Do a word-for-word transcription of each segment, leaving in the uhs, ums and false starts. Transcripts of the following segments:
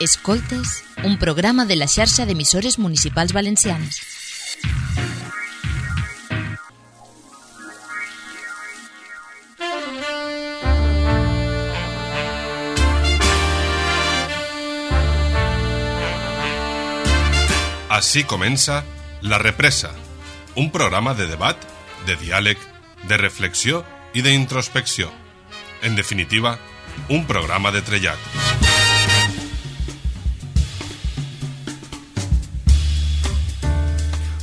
Escoltes, un programa de la xarxa d'emissores municipals valencianes. Así comença La Represa, un programa de debat, de diàleg, de reflexió i d'introspecció. En definitiva, un programa de trellat.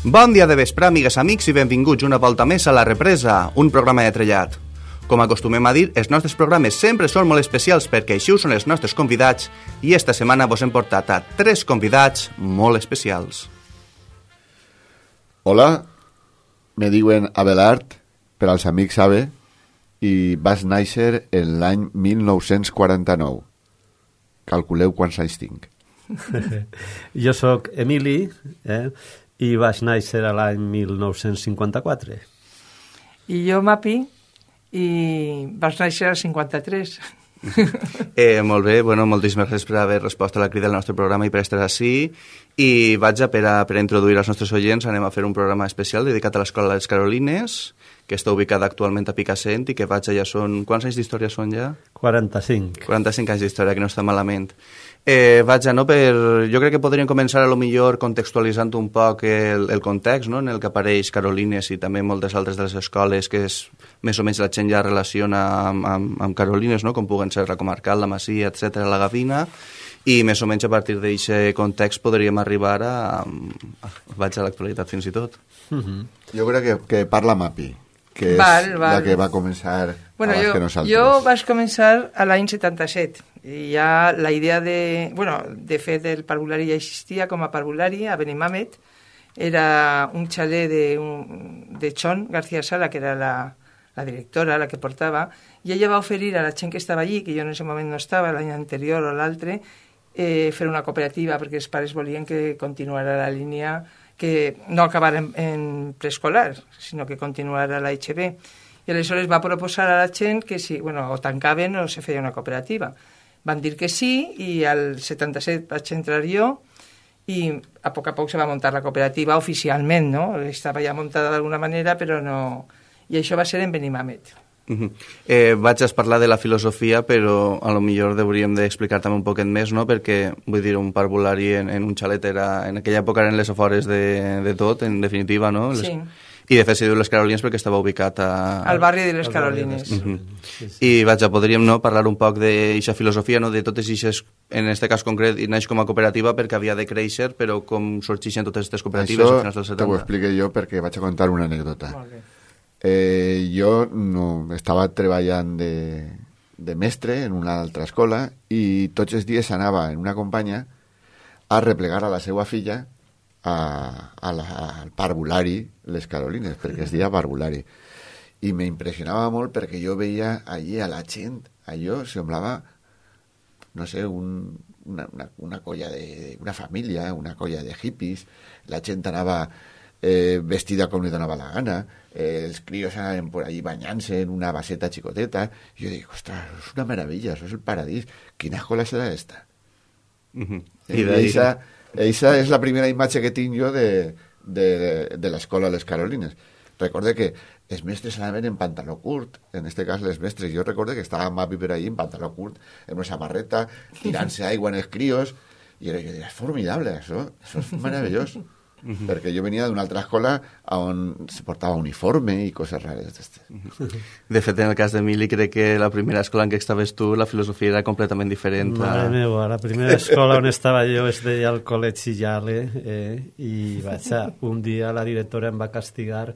Bon dia de vespre, amigues, amics, i benvinguts una volta més a La Represa, un programa de trellat. Com acostumem a dir, els nostres programes sempre són molt especials perquè així ho són els nostres convidats i esta setmana vos hem portat a tres convidats molt especials. Hola, me diuen Abelard, per als amics sabe, i vas néixer en l'any mil nou-cents quaranta-nou. Calculeu quants anys tinc. Jo sóc Emili, eh? i vaig néixer a l'any mil nou-cents cinquanta-quatre. I jo, Mapi, i vaig néixer al cinquanta-tres. eh, molt bé, bueno, moltíssimes gràcies per haver respost a la crida del nostre programa i per estar així. I vaig a per, a, per a introduir als nostres oients, anem a fer un programa especial dedicat a l'Escola de les Carolines, que està ubicada actualment a Picassent i que vaig allà són... Quants anys d'història són ja? quaranta-cinc. quaranta-cinc anys d'història, que no està malament. Eh, vaig a, no, per... Jo crec que podríem començar a lo millor contextualitzant un poc el, el context, no?, en el que apareix Carolines i també moltes altres de les escoles que és, més o menys la gent ja relaciona amb, amb, amb Carolines, no?, com puguen ser la Comarcal, la Masia, etcètera, la Gavina, i més o menys a partir d'aquest context podríem arribar a... a vaig a l'actualitat fins i tot. Uh-huh. Jo crec que, que parla Mapi, que és val, val. la que va començar bueno, abans jo, que nosaltres. Jo vaig començar a l'any setanta-set, i ja la idea de... Bueno, de fet, el parvulari ja existia com a parvulari a Benimàmet. Era un xalet de, un, de Chon García Sala, que era la, la directora, la que portava, i ella va oferir a la gent que estava allí, que jo en aquest moment no estava, l'any anterior o l'altre, eh, fer una cooperativa, perquè els pares volien que continuara la línia, que no acabara en, en preescolar, sinó que continuara la H B. I aleshores va proposar a la gent que si, bueno, o tancaven o se feia una cooperativa. Van dir que sí, i al setanta-set vaig entrar jo, i a poc a poc se va muntar la cooperativa oficialment, no? Estava ja muntada d'alguna manera, però no... I això va ser en Benimàmet. Uh-huh. Eh, vaig a parlar de la filosofia, però a lo millor hauríem d'explicar també un poquet més, no?, perquè, vull dir, un parvulari en, en un xalet era... En aquella època eren les afores de, de tot, en definitiva, no? Les... Sí. I de fet se diu les Carolines perquè estava ubicat a... Al barri de les Carolines. Uh-huh. Sí, sí. I vaig, podríem, no, parlar un poc d'aquesta filosofia, no, de totes aquestes, en aquest cas concret, i naix com a cooperativa perquè havia de créixer, però com sorgeixen totes aquestes cooperatives Això a finals dels setanta. Això t'ho explique jo perquè vaig a contar una anècdota. Molt bé. Eh, jo no, estava treballant de, de mestre en una altra escola i tots els dies anava en una companya a replegar a la seva filla a, a la, al parvulari Les Carolines, perquè es deia parvulari. I m'impressionava molt perquè jo veia allí a la gent, allò semblava, no sé, un, una, una, una colla de... una família, una colla de hippies, la gent anava eh, vestida com li donava la gana, eh, els crios anaven por allí banyant-se en una baseta xicoteta, i jo dic, ostres, és una meravella, això és el paradís, quina escola serà esta? Uh-huh. I eixa, eixa és la primera imatge que tinc jo de, de, de, de l'escola Les Carolines. Recorde que els mestres anaven en pantaló curt, en este cas les mestres, jo recorde que estava Mapi per allí en pantaló curt, en una samarreta, tirant-se aigua en els crios, i era, jo deia, és formidable, això, això és meravellós. Uh-huh. Perquè jo venia d'una altra escola on se portava uniforme i coses rares d'estes. Uh-huh. De fet, en el cas d'Emili, crec que la primera escola en què estaves tu, la filosofia era completament diferent. Mare a... meva, la primera escola on estava jo es deia el Col·legi Yale, eh, i vaig a, un dia la directora em va castigar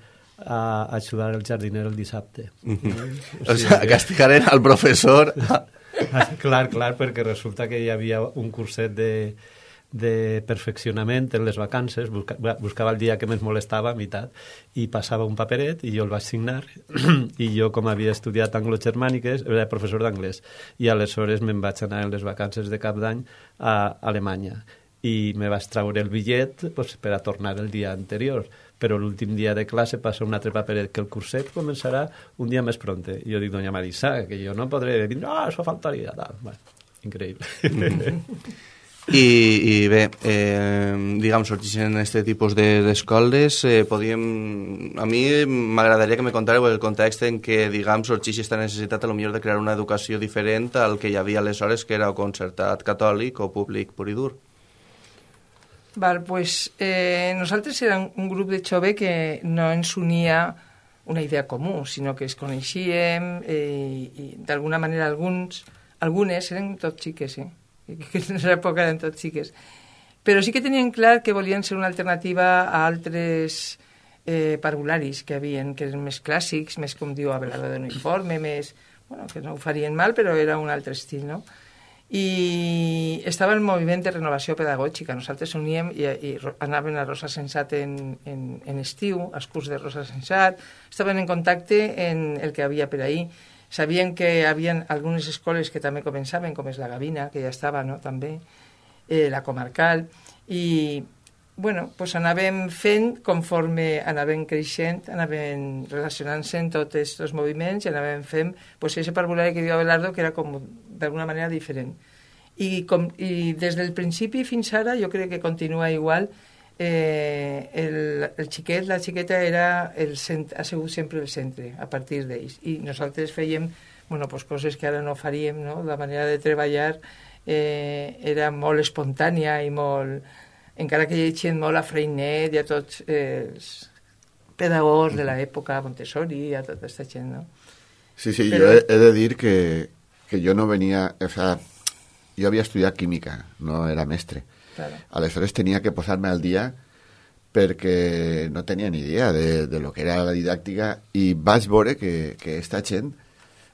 a ajudar el jardiner el dissabte. Uh-huh. eh? O sigui, que... castigaren al professor. Clar, clar, perquè resulta que hi havia un curset de de perfeccionament en les vacances, busca, buscava el dia que més molestava a meitat i passava un paperet i jo el vaig signar i jo, com havia estudiat anglo-germàniques, era professor d'anglès i aleshores me'n vaig anar en les vacances de cap d'any a Alemanya i me vaig traure el bitllet pues, per a tornar el dia anterior, però l'últim dia de classe passa un altre paperet que el curset començarà un dia més pronte i jo dic, doña Marisa, que jo no podré dir, no, això faltaria tal. Bueno, increïble. I, i bé, eh, diguem, sorgeixen aquest tipus d'escoles, de, eh, podíem... A mi m'agradaria que me contàreu el context en què, diguem, sorgeix aquesta necessitat a lo millor de crear una educació diferent al que hi havia aleshores, que era o concertat catòlic o públic pur i dur. Val, pues, eh, nosaltres érem un grup de jove que no ens unia una idea comú, sinó que es coneixíem eh, i d'alguna manera alguns, algunes eren tots xiques, eh? que en l'època eren tots xiques, però sí que tenien clar que volien ser una alternativa a altres eh, parvularis que havien, que eren més clàssics, més com diu Abelardo d'uniforme, més, bueno, que no ho farien mal, però era un altre estil, no? I estava el moviment de renovació pedagògica. Nosaltres uníem i, i anaven a Rosa Sensat en, en, en estiu, als curs de Rosa Sensat, estaven en contacte en el que havia per ahir. Sabien que hi havia algunes escoles que també començaven, com és la Gavina, que ja estava, no?, també, eh, la Comarcal, i, bueno, pues anàvem fent conforme anàvem creixent, anàvem relacionant-se en tots aquests moviments i anàvem fent, pues, ese parvulari que diu Abelardo, que era com d'alguna manera diferent. I, com, I des del principi fins ara jo crec que continua igual. Eh, el, el xiquet, la xiqueta era el cent, ha sigut sempre el centre a partir d'ells, i nosaltres fèiem, bueno, pues, coses que ara no faríem, no? La manera de treballar eh, era molt espontània i molt, encara que llegien molt a Freinet i a tots els pedagogs de l'època, Montessori i a tota aquesta gent, no? Sí, sí, Però... jo he, he de dir que, que jo no venia, o sea, jo havia estudiat química, no era mestre. Claro. Aleshores tenia que posar-me al dia perquè no tenia ni idea de, de lo que era la didàctica i vaig veure que, que esta gent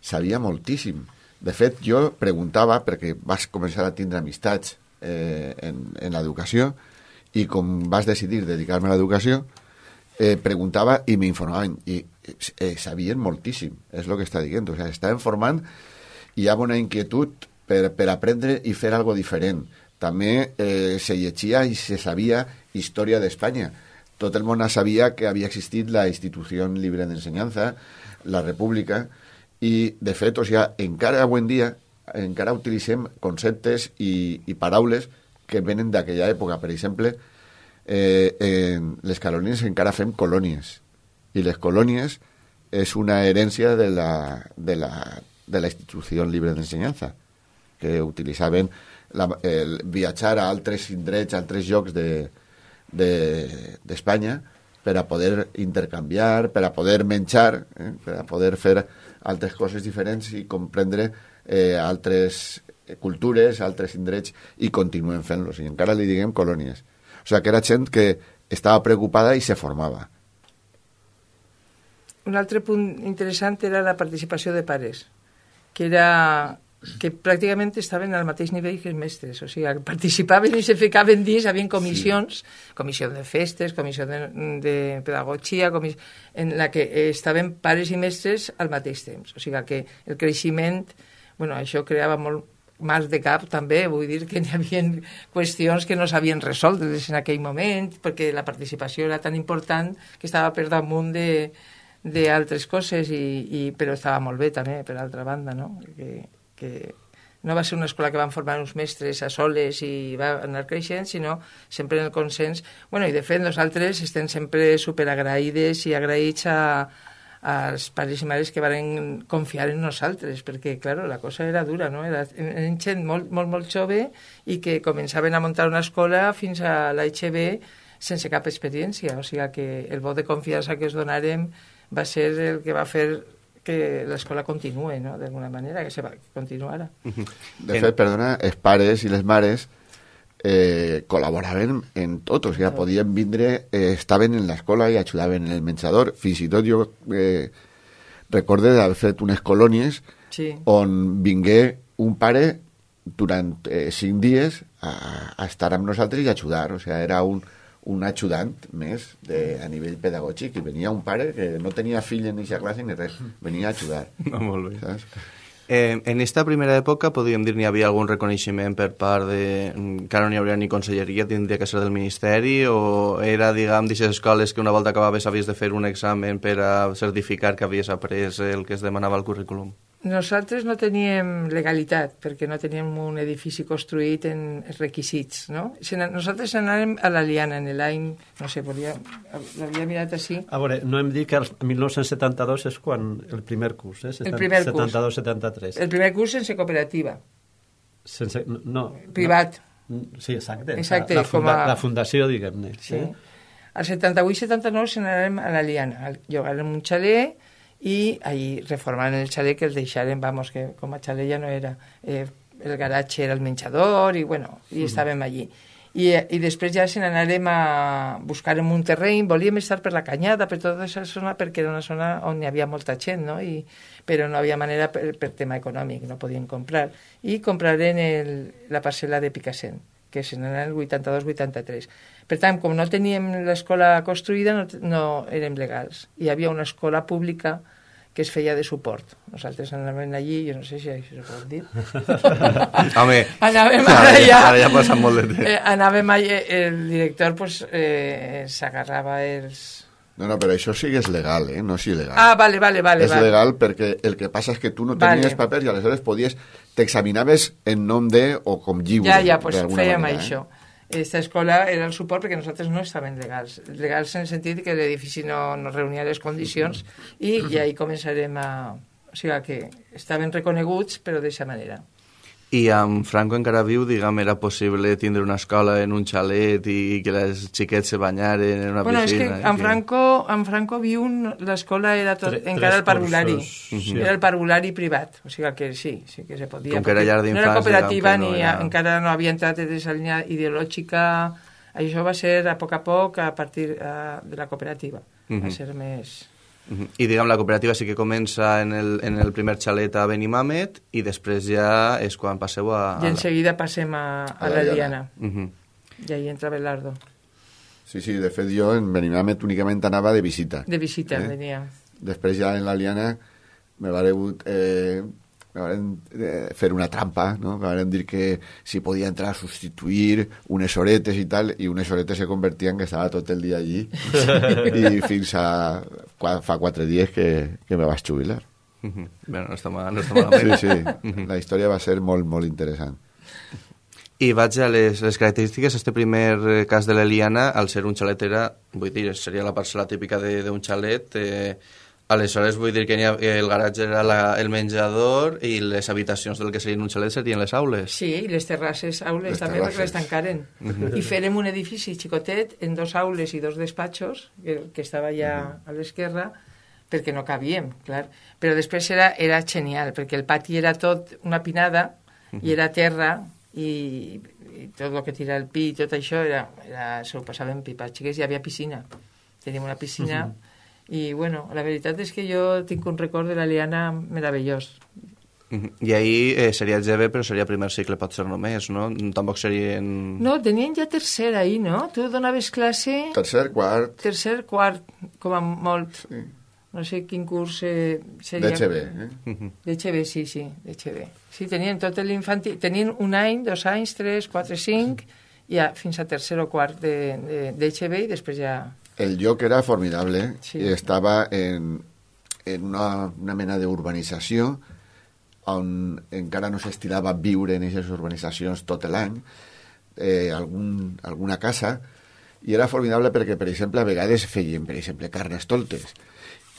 sabia moltíssim. De fet, jo preguntava, perquè vas començar a tindre amistats eh, en, en l'educació i com vas decidir dedicar-me a l'educació, eh, preguntava i m'informaven i eh, sabien moltíssim, és el que està dient. O sigui, estaven formant i hi ha una inquietud per, per aprendre i fer algo diferent. També eh, se llegia i se sabia història d'Espanya. Tot el món sabia que havia existit la Institució Libre d'Ensenyança, la República, i, de fet, o sigui, encara avui en dia encara utilitzem conceptes i, i paraules que venen d'aquella època. Per exemple, eh, en les colònies encara fem colònies, i les colònies és una herència de la, de la, de la Institució Libre d'Ensenyança, que utilitzaven La, el viatjar a altres indrets, a altres llocs d'Espanya de, de, per a poder intercanviar, per a poder menjar, eh, per a poder fer altres coses diferents i comprendre eh, altres cultures, altres indrets, i continuem fent-los. I encara li diguem colònies. O sigui, que era gent que estava preocupada i se formava. Un altre punt interessant era la participació de pares, que era... que pràcticament estaven al mateix nivell que els mestres, o sigui, participaven i se ficaven dins, havien comissions, sí. Comissió de festes, comissió de, de pedagogia, comis... en la que estaven pares i mestres al mateix temps, o sigui que el creixement, bueno, això creava molt mal de cap també, vull dir que hi havia qüestions que no s'havien resolt en aquell moment, perquè la participació era tan important que estava per damunt de d'altres coses, i, i, però estava molt bé també, per altra banda, no? Que, que no va ser una escola que van formar uns mestres a soles i va anar creixent, sinó sempre en el consens. Bueno, i de fet nosaltres estem sempre superagraïdes i agraïts a, als pares i mares que van confiar en nosaltres, perquè, clar, la cosa era dura, no? Era, eren gent molt, molt, molt jove i que començaven a muntar una escola fins a l'H B sense cap experiència, o sigui que el vot de confiança que us donarem va ser el que va fer que l'escola continuï, no?, d'alguna manera, que se va continuar. De fet, perdona, els pares i les mares eh, col·laboraven en tot, o sigui, podien vindre, eh, estaven en l'escola i ajudaven en el menjador. Fins i tot jo eh, recorde d'haver fet unes colònies sí. on vingué un pare durant eh, cinc dies a, a estar amb nosaltres i ajudar, o sigui, era un un ajudant més de, a nivell pedagògic, i venia un pare que no tenia fill en aquesta classe ni res, venia a ajudar. No, molt bé. Saps? Eh, en aquesta primera època, podríem dir, n'hi havia algun reconeixement per part de... que no n'hi hauria ni conselleria, tindria que ser del Ministeri, o era, diguem, d'aquestes escoles que una volta acabaves havies de fer un examen per a certificar que havies après el que es demanava al currículum? Nosaltres no teníem legalitat, perquè no teníem un edifici construït en requisits, no? Nosaltres anàvem a la Liana en l'any, no sé, volia, l'havia mirat així. A veure, no hem dit que el mil nou-cents setanta-dos és quan el primer curs, eh? El primer curs. setanta-dos setanta-tres. El primer curs sense cooperativa. Sense, no. Privat. No, sí, exacte. Exacte, la, la, funda, a... la fundació, diguem-ne. Sí. Eh? Al setanta-vuit setanta-nou se n'anàrem a la Liana, llogarem un xalet i ahí reformant el xalet que el deixaren, vamos, que com a xalet ja no era, eh, el garatge era el menjador i bueno, i mm. estàvem allí. I, i després ja se n'anàrem a buscar un terreny, volíem estar per la Canyada, per tota aquesta zona, perquè era una zona on hi havia molta gent, no? I, però no havia manera per, per tema econòmic, no podíem comprar. I compraren el, la parcel·la de Picassent, que se n'anà el vuitanta-dos vuitanta-tres. Per tant, com no teníem l'escola construïda, no, no érem legals. Hi havia una escola pública que es feia de suport. Nosaltres anàvem allí, jo no sé si això se pot dir. Home, anàvem ara, allà, ja, ara ja passa molt de temps. Eh, anàvem allà, el director pues, eh, s'agarrava els... No, no, però això sí que és legal, eh? No és il·legal. Ah, vale, vale, vale. És vale. legal perquè el que passa és que tu no tenies vale. papers i aleshores podies, t'examinaves en nom de o com lliure. Ja, ja, pues fèiem manera, això. Eh? Aquesta escola era el suport perquè nosaltres no estàvem legals. Legals en el sentit que l'edifici no, no reunia les condicions i, i ahí començarem a... O sigui que estaven reconeguts, però d'aquesta manera. I amb Franco encara viu, diguem, era possible tindre una escola en un xalet i que les xiquets se banyaren en una bueno, piscina? Bueno, és que en Franco, en Franco viu, l'escola era tot, Tre, encara el parvulari. Sí. Era el parvulari privat, o sigui que sí, sí que se podia. Com que era llar d'infants, no era cooperativa no ni era... encara no havia entrat en aquesta línia ideològica. Això va ser a poc a poc a partir uh, de la cooperativa. Uh -huh. Va ser més... Uh -huh. I diguem, la cooperativa sí que comença en el, en el primer xalet a Benimàmet i després ja és quan passeu a... I en seguida passem a, a, a la Liana. Uh -huh. I ahí entra Belardo. Sí, sí, de fet jo en Benimàmet únicament anava de visita. De visita, eh? Venia. Després ja en la Liana me vareu eh, me varen eh, fer una trampa, no? Me varen dir que si podia entrar a substituir unes horetes i tal, i unes horetes se convertien que estava tot el dia allí i fins a fa quatre dies que, que me vaig jubilar. Uh-huh. Bé, no està mal, no està malament. Sí, sí, uh-huh. La història va ser molt, molt interessant. I vaig a les, les característiques. Este primer cas de l'Eliana, al ser un xalet era, vull dir, seria la parcel·la típica d'un xalet, eh, aleshores vull dir que ha, el garatge era la, el menjador i les habitacions del que serien un xalet serien les aules. Sí, i les terrasses, aules les també terrasses. perquè les tancaren. Uh-huh. I fèrem un edifici xicotet en dos aules i dos despatxos, que, que estava ja uh-huh. a l'esquerra, perquè no cabíem, clar. Però després era, era genial, perquè el pati era tot una pinada uh-huh. i era terra i, i tot el que tira el pi i tot això era, era, se ho passaven pipa. Xiques, hi havia piscina. Teníem una piscina... Uh-huh. I, bueno, la veritat és que jo tinc un record de la Liana meravellós. I ahir eh, seria G B, però seria primer cicle, pot ser només, no? Tampoc serien... No, tenien ja tercer ahir, no? Tu donaves classe... Tercer, quart... Tercer, quart, com a molt. Sí. No sé quin curs eh, seria... D'H B, eh? D'H B, sí, sí, d'H B. Sí, tenien tot l'infantil... Tenien un any, dos anys, tres, quatre, cinc, ja fins a tercer o quart d'H B i després ja... El lloc era formidable, sí. I estava en, en una, una mena d'urbanització on encara no s'estilava viure en aquestes urbanitzacions tot l'any, eh, algun, alguna casa, i era formidable perquè, per exemple, a vegades feien, per exemple, carnestoltes,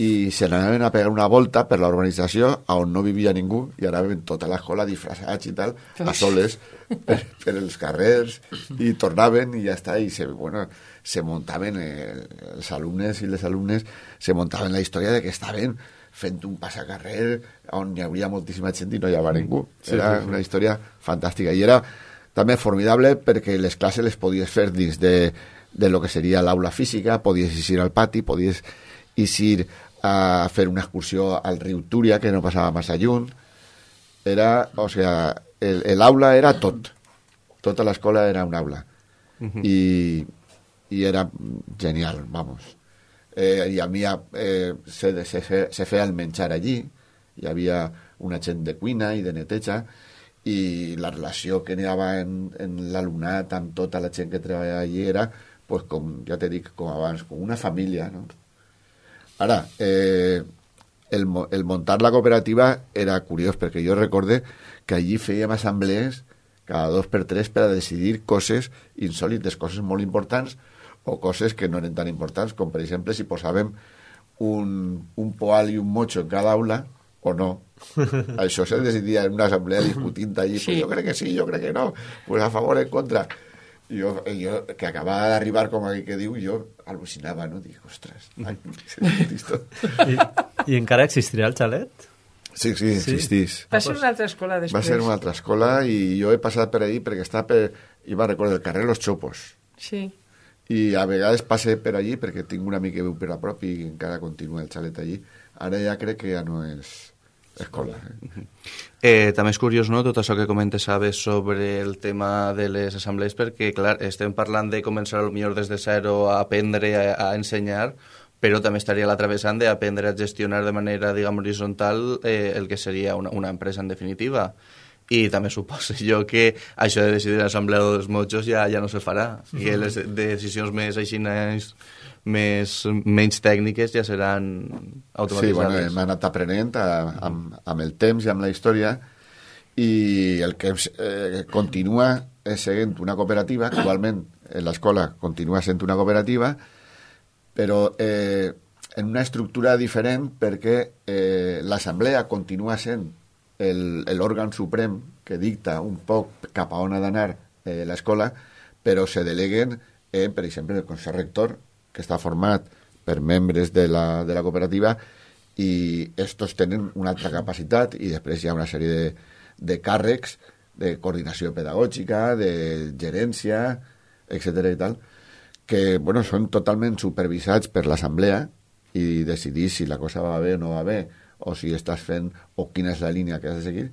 i se n'anaven a pegar una volta per la urbanització on no vivia ningú, i anaven tota l'escola disfressats i tal, a soles, per, per els carrers, i tornaven i ja està, i se, bueno, se muntaven, eh, els alumnes i les alumnes se muntaven la història de que estaven fent un passacarrer on hi hauria moltíssima gent i no hi havia ningú. Era sí, sí, sí. Una història fantàstica. I era també formidable perquè les classes les podies fer dins de, de lo que seria l'aula física, podies ir al pati, podies ir a fer una excursió al riu Túria, que no passava massa lluny. Era, o sea, l'aula era tot. Tota l'escola era una aula. Uh-huh. I, i era genial, vamos. Eh, I a mi eh, se, se, se feia el menjar allí, hi havia una gent de cuina i de neteja, i la relació que n'hi havia en, en l'alumnat amb tota la gent que treballava allí era, pues, com ja t'he dit, com abans, com una família, no? Ara, eh, el, el montar la cooperativa era curiós, perquè jo recorde que allí fèiem assemblees cada dos per tres per a decidir coses insòlites, coses molt importants o coses que no eren tan importants, com per exemple si posàvem un, un poal i un mocho en cada aula o no. Això se decidia en una assemblea discutint allí, sí. Pues jo crec que sí, jo crec que no, pues a favor, en contra. Jo, jo que acabava d'arribar, com aquí que diu, jo al·lucinava, no? Dic, ostres, ai, I, I encara existirà el xalet? Sí, sí, existís. Va ser una altra escola després. Va ser una altra escola i jo he passat per ahí perquè està per, i va recordar el carrer Los Chopos. Sí. I a vegades passe per allí perquè tinc un amic que viu per a prop i encara continua el xalet allí. Ara ja crec que ja no és escola. Eh? Eh, també és curiós, no?, tot això que comentes, Sabes, sobre el tema de les assemblees, perquè, clar, estem parlant de començar potser des de zero a aprendre a, a ensenyar, però també estaria l'altra vessant d'aprendre a gestionar de manera, diguem, horitzontal eh, el que seria una, una empresa, en definitiva. I també suposo jo que això de decidir l'assemblea dels motxos ja, ja no se farà. I les decisions més així, més, menys tècniques ja seran automatitzades. Sí, bueno, hem anat aprenent a, amb, amb el temps i amb la història, i el que eh, continua és seguint una cooperativa, actualment l'escola continua sent una cooperativa, però eh, en una estructura diferent, perquè eh, l'assemblea continua sent l'òrgan suprem que dicta un poc cap a on ha d'anar eh, l'escola, però se deleguen, eh, per exemple, el Consell Rector, que està format per membres de la, de la cooperativa, i estos tenen una altra capacitat, i després hi ha una sèrie de, de càrrecs de coordinació pedagògica, de gerència, etcètera i tal, que bueno, són totalment supervisats per l'assemblea i decidir si la cosa va bé o no va bé, o si estàs fent, o quina és la línia que has de seguir,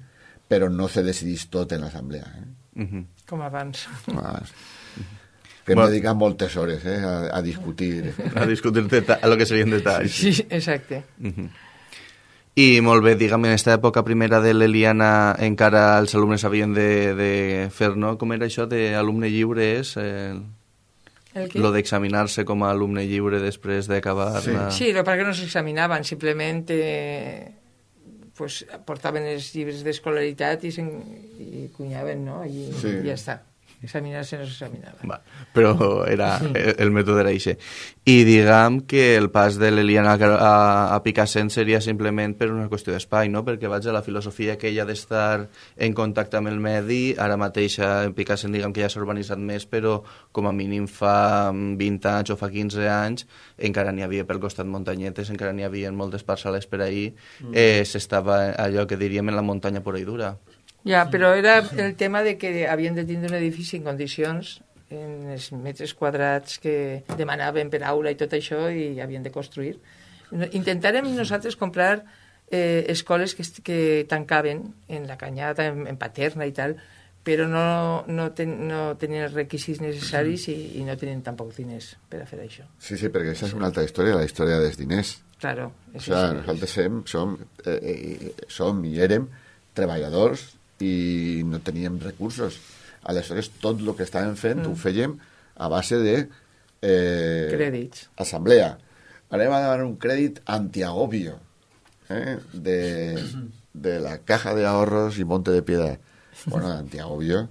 però no se decidís tot en l'assemblea. Eh? Uh-huh. Com abans. Com abans. Que hem bueno. dedicat moltes hores eh, a, a discutir. A discutir a lo que serien detalls. Sí, exacte. Uh-huh. I molt bé, diguem, en aquesta època primera de l'Eliana encara els alumnes havien de, de fer, no? Com era això d'alumne lliure? És el... lo d'examinar-se com a alumne lliure després d'acabar sí. la... Sí, lo perquè no s'examinaven, simplement eh, pues, portaven els llibres d'escolaritat i, i cunyaven, no? I sí. ja està. Examinar-se no s'examinava. Va, però era, el, el mètode era això. I diguem que el pas de l'Eliana a, a Picassent seria simplement per una qüestió d'espai, no? Perquè vaig a la filosofia que ella ha d'estar en contacte amb el medi, ara mateix en Picassent diguem que ja s'ha urbanitzat més, però com a mínim fa vint anys o fa quinze anys encara n'hi havia pel costat muntanyetes, encara n'hi havia moltes parcel·les per ahir, mm. eh, s'estava allò que diríem en la muntanya pura i dura. Ja, però era el tema de que havien de tindre un edifici en condicions, en els metres quadrats que demanaven per aula i tot això, i havien de construir. Intentarem nosaltres comprar eh, escoles que, que tancaven en la Canyada, en, en Paterna i tal, però no, no, ten, no tenien els requisits necessaris i, i no tenien tampoc diners per a fer això. Sí, sí, perquè aquesta és una altra història, la història dels diners. Claro. O sigui, nosaltres som, som, eh, som i érem treballadors i no teníem recursos. Aleshores, tot el que estàvem fent mm. ho fèiem a base de eh, crèdits. Assemblea. Anem a demanar un crèdit antiagobio eh, de, de la Caja de Ahorros i Monte de Piedad. Bueno, antiagobio,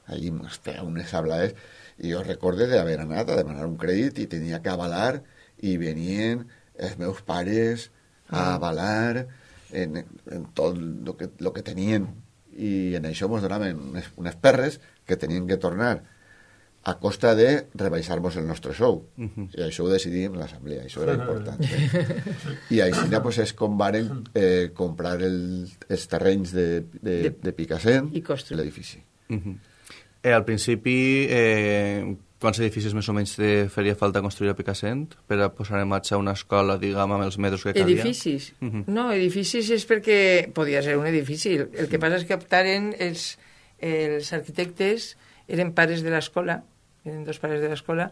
allí ens feia unes hablades, i jo recorde d'haver anat a demanar un crèdit i tenia que avalar, i venien els meus pares a avalar en, en tot el que, lo que tenien, i en això ens donaven unes, unes perres que tenien que tornar a costa de rebaixar-nos el nostre sou. Uh-huh. I això ho decidim en l'assemblea, això era important. Eh? I així pues, és com varen eh, comprar el, els terrenys de, de, de, de Picassent i l'edifici. Uh-huh. eh, al principi, eh, quants edificis més o menys te faria falta construir a Picassent per a posar en marxa una escola, diguem, amb els metres que calia? Edificis? Uh-huh. No, edificis és perquè podia ser un edifici. El que passa és que optaren els, els arquitectes, eren pares de l'escola, eren dos pares de l'escola,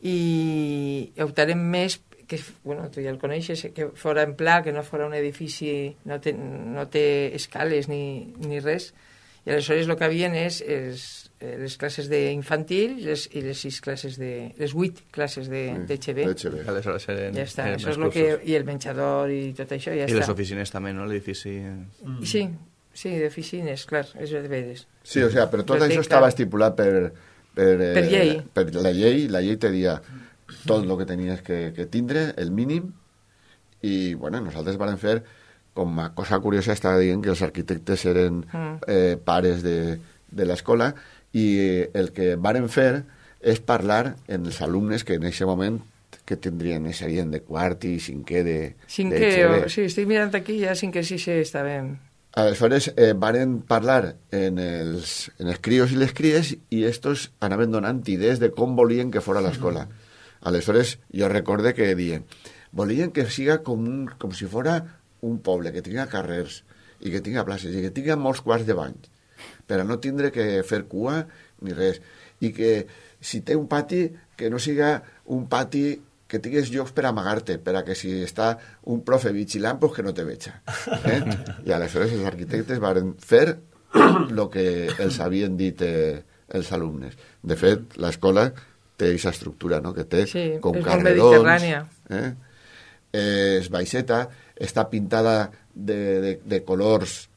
i optaren més, que, bueno, tu ja el coneixes, que fora en pla, que no fora un edifici, no té, no té escales ni, ni res, I aleshores el que havien és, és les classes d'infantil i les, i les sis classes de... les vuit classes d'H B. Aleshores eren, ja està, eren això més és lo que... cursos. I el menjador i tot això, ja I està. les oficines també, no? L'edifici... Mm. Sí, sí, d'oficines, clar, és de veres. Sí, o sea, però tot això estava estipulat per... Per, eh, per llei. Per la llei, la llei te dia tot el que tenies que, que tindre, el mínim, i, bueno, nosaltres vam fer, com a cosa curiosa, estava dient que els arquitectes eren mm. eh, pares de, de l'escola, i el que varen fer és parlar en els alumnes que en aquest moment que tindrien, serien de quart i cinquè de... Cinquè, o, sí, estic mirant aquí, ja cinquè, sisè estàvem. Aleshores, eh, varen parlar en els, en els crios i les cries i estos anaven donant idees de com volien que fora l'escola. Aleshores, jo recorde que dient, volien que siga com, un, com si fora un poble, que tinga carrers i que tinga places i que tinga molts quarts de bany, per a no tindre que fer cua ni res. I que si té un pati, que no siga un pati que tingués llocs per amagar-te, per a que si està un profe vigilant, pues que no te veja. Eh? I aleshores els arquitectes van fer el que els havien dit eh, els alumnes. De fet, l'escola té aquesta estructura, no?, que té sí, com és carrerons. Eh? Eh, es baixeta, està pintada de, de, de colors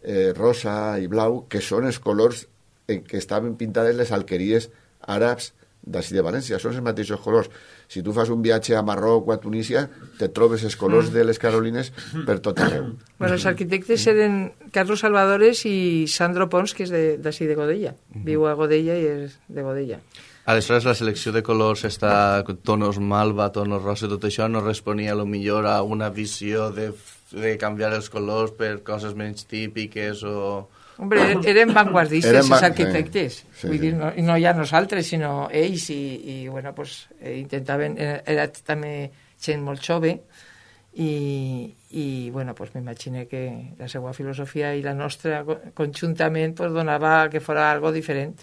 eh, rosa i blau, que són els colors en què estaven pintades les alqueries àrabs d'ací de València, són els mateixos colors. Si tu fas un viatge a Marroc o a Tunísia, te trobes els colors de les Carolines per tot arreu. Bueno, els arquitectes eren Carlos Salvadores i Sandro Pons, que és d'ací de, de Godella. Viu a Godella i és de Godella. Aleshores, la selecció de colors, està tonos malva, tonos rosa, tot això no responia a lo millor a una visió de, de canviar els colors per coses menys típiques o... Hombre, eren vanguardistes, eren els arquitectes. Sí, sí, Vull dir, no, no ja nosaltres, sinó ells, i, i bueno, pues, eh, intentaven... Era, era també gent molt jove, i, i bueno, pues, m'imagino que la seva filosofia i la nostra conjuntament pues, donava que fora algo diferent.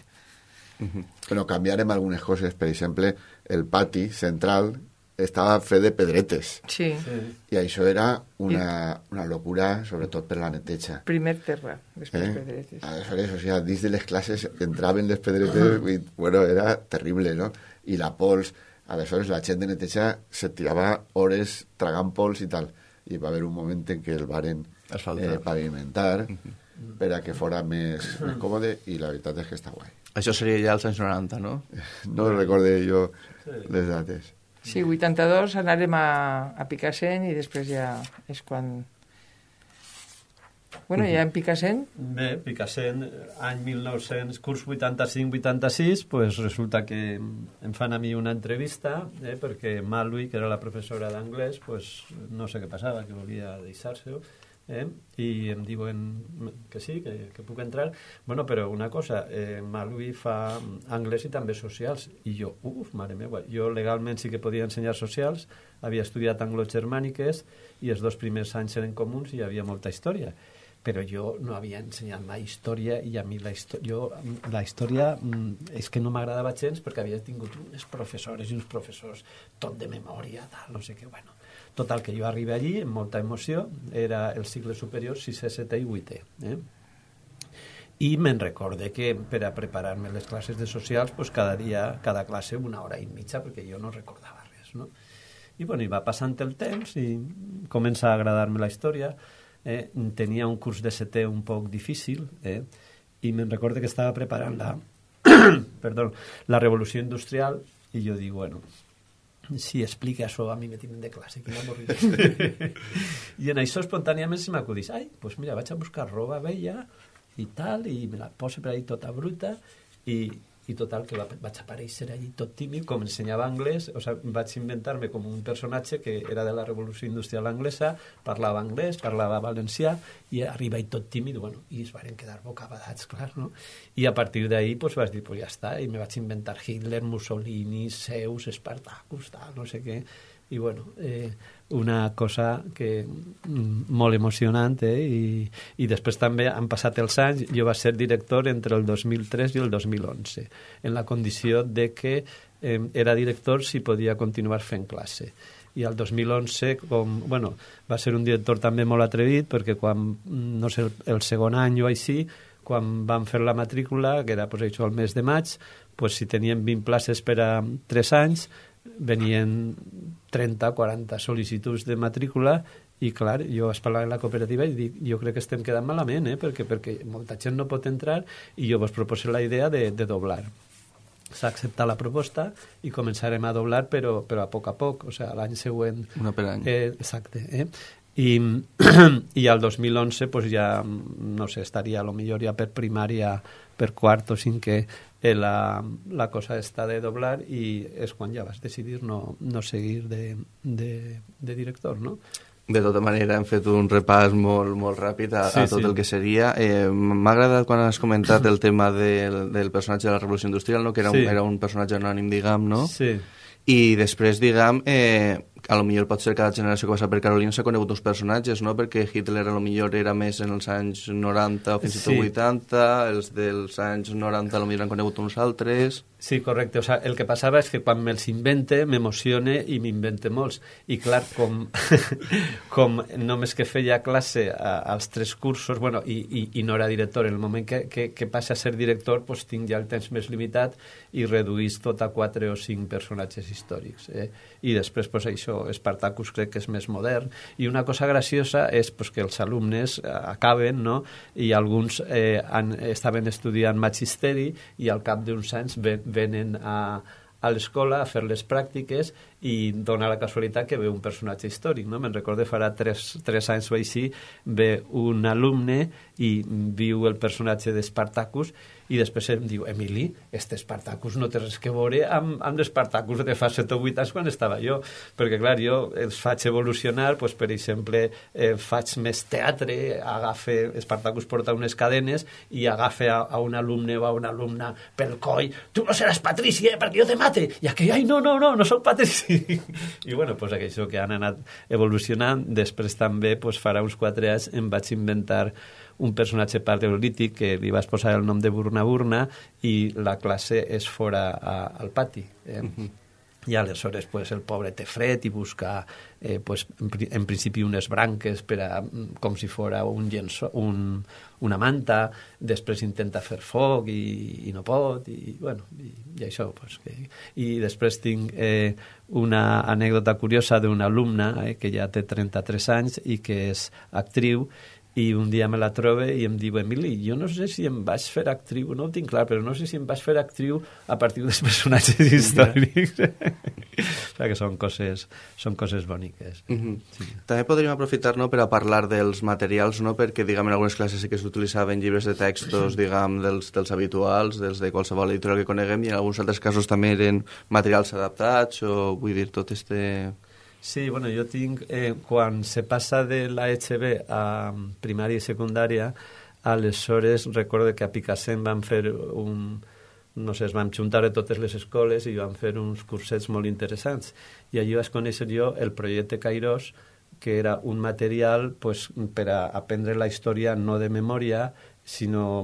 Uh-huh. Però canviarem algunes coses. Per exemple, el pati central estava fet de pedretes. Sí. sí. I això era una, una locura, sobretot per la neteja. Primer terra, després eh? pedretes. Aleshores, o sea, dins de les classes entraven les pedretes i, bueno, era terrible, no? I la pols, aleshores la gent de neteja se tirava hores tragant pols i tal. I va haver un moment en què el varen eh, pavimentar uh-huh. per a que fora més, més còmode, i la veritat és que està guai. Això seria ja als anys noranta, no? No recorde jo les dates. Sí, vuitanta-dos anàrem a, a Picassent i després ja és quan... Bueno, ja en Picassent... Bé, Picassent, any mil nou-cents, curs vuitanta-cinc vuitanta-sis, pues resulta que em fan a mi una entrevista, eh, perquè Malui, que era la professora d'anglès, pues no sé què passava, que volia deixar-se-ho, eh, i em diuen que sí, que, que puc entrar. Bueno, però una cosa, eh, Malui fa anglès i també socials, i jo, uf, mare meva, jo legalment sí que podia ensenyar socials, havia estudiat anglo-germàniques i els dos primers anys eren comuns i hi havia molta història, però jo no havia ensenyat mai història, i a mi la, jo, la història és que no m'agradava gens perquè havia tingut unes professores i uns professors tot de memòria, tal, no sé què, bueno. Total, que jo arribé allí amb molta emoció, era el cicle superior sisè, setè i vuitè. Eh? I me'n recorde que per a preparar-me les classes de socials, pues cada dia, cada classe una hora i mitja, perquè jo no recordava res, no? I bueno, i va passant el temps i comença a agradar-me la història. Eh? Tenia un curs de setè un poc difícil, eh? I me'n recorde que estava preparant la, perdó, la revolució industrial, i jo dic, bueno, si explica això a mi me tenen de classe, quina avorrida. I en això espontàniament se m'acudís, ai, doncs mira, vaig a buscar roba vella i tal, i me la poso per ahí tota bruta, i, i total, que va, vaig aparèixer allí tot tímid, com ensenyava anglès, o sigui, vaig inventar-me com un personatge que era de la revolució industrial anglesa, parlava anglès, parlava valencià, i arriba i tot tímid, bueno, i es varen quedar bocabadats, clar, no? I a partir d'ahí, pues, vaig dir, pues ja està, i me vaig inventar Hitler, Mussolini, Zeus, Espartacus, tal, no sé què, i bueno, eh, una cosa que mm, molt emocionant, eh? I, i després també han passat els anys, jo vaig ser director entre el dos mil tres i el dos mil onze, en la condició de que eh, era director si podia continuar fent classe. I al dos mil onze, com, bueno, va ser un director també molt atrevit, perquè quan, no sé, el, el segon any o així, quan vam fer la matrícula, que era pues, això, el mes de maig, pues, si teníem vint places per a tres anys, venien trenta o quaranta sol·licituds de matrícula i, clar, jo vaig parlar en la cooperativa i dic, jo crec que estem quedant malament, eh? perquè, perquè molta gent no pot entrar i jo vos proposé la idea de, de doblar. S'ha acceptat la proposta i començarem a doblar, però, però a poc a poc, o sigui, l'any següent... Una per any. Eh, exacte, eh? I, i al dos mil onze pues ja, no sé, estaria a lo millor ja per primària, per quart o cinquè, eh, la, la cosa està de doblar i és quan ja vas decidir no, no seguir de, de, de director, no? De tota manera, hem fet un repàs molt, molt ràpid a, sí, a tot sí. el que seria. Eh, M'ha agradat quan has comentat el tema del, del personatge de la Revolució Industrial, no? que era, sí. un, era un personatge anònim, diguem, no? Sí. I després, diguem, eh, a lo millor pot ser cada generació que passa per Carolina s'ha conegut uns personatges, no? Perquè Hitler a lo millor era més en els anys noranta o fins i tot sí. vuitanta, els dels anys noranta a lo millor han conegut uns altres... Sí, correcte. O sea, el que passava és que quan me'ls invente, m'emocione i m'invente molts. I clar, com, com només que feia classe a, als tres cursos, bueno, i, i, i no era director, en el moment que, que, que passa a ser director, pues, tinc ja el temps més limitat i reduís tot a quatre o cinc personatges històrics. Eh? I després, pues, això, Spartacus crec que és més modern. I una cosa graciosa és pues, que els alumnes acaben, no? I alguns eh, han, estaven estudiant magisteri i al cap d'uns anys ven, venen a, a l'escola a fer les pràctiques i dona la casualitat que ve un personatge històric, no? Me'n recordo farà tres, tres anys o així, ve un alumne i viu el personatge d'Spartacus i després em diu, Emili, este Spartacus no té res que veure amb, amb l'Spartacus de fa set o vuit anys quan estava jo, perquè clar, jo els faig evolucionar, pues, per exemple eh, faig més teatre, agafe Spartacus porta unes cadenes i agafe a, a un alumne o a una alumna pel coll, tu no seràs Patrici, eh, perquè jo te mate, i aquell, ai, no, no, no, no soc Patrici. I bueno, pues això que han anat evolucionant. Després també, pues, farà uns quatre anys em vaig inventar un personatge paleolític que li vas posar el nom de Burna Burna i la classe és fora a, al pati. Eh? Uh-huh. I aleshores pues, el pobre té fred i busca eh, pues, en, en principi unes branques per a, com si fora un llenço, un, una manta, després intenta fer foc i, i no pot i, bueno, i, i això pues, que... i després tinc eh, una anècdota curiosa d'una alumna eh, que ja té trenta-tres anys i que és actriu i un dia me la trobe i em diu, Emili, jo no sé si em vaig fer actriu, no ho tinc clar, però no sé si em vaig fer actriu a partir dels personatges històrics. O sigui que són coses, són coses boniques. Uh-huh. Sí. També podríem aprofitar, no, per a parlar dels materials, no, perquè diguem, en algunes classes sí que s'utilitzaven llibres de textos, diguem, dels, dels habituals, dels de qualsevol editorial que coneguem, i en alguns altres casos també eren materials adaptats, o vull dir, tot este... Sí, bueno, jo tinc, eh, quan se passa de la H B a primària i secundària, aleshores recordo que a Picassent van fer un... no sé, es van juntar a totes les escoles i van fer uns cursets molt interessants. I allí vaig conèixer jo el projecte Kairos, que era un material pues, per a aprendre la història no de memòria, sinó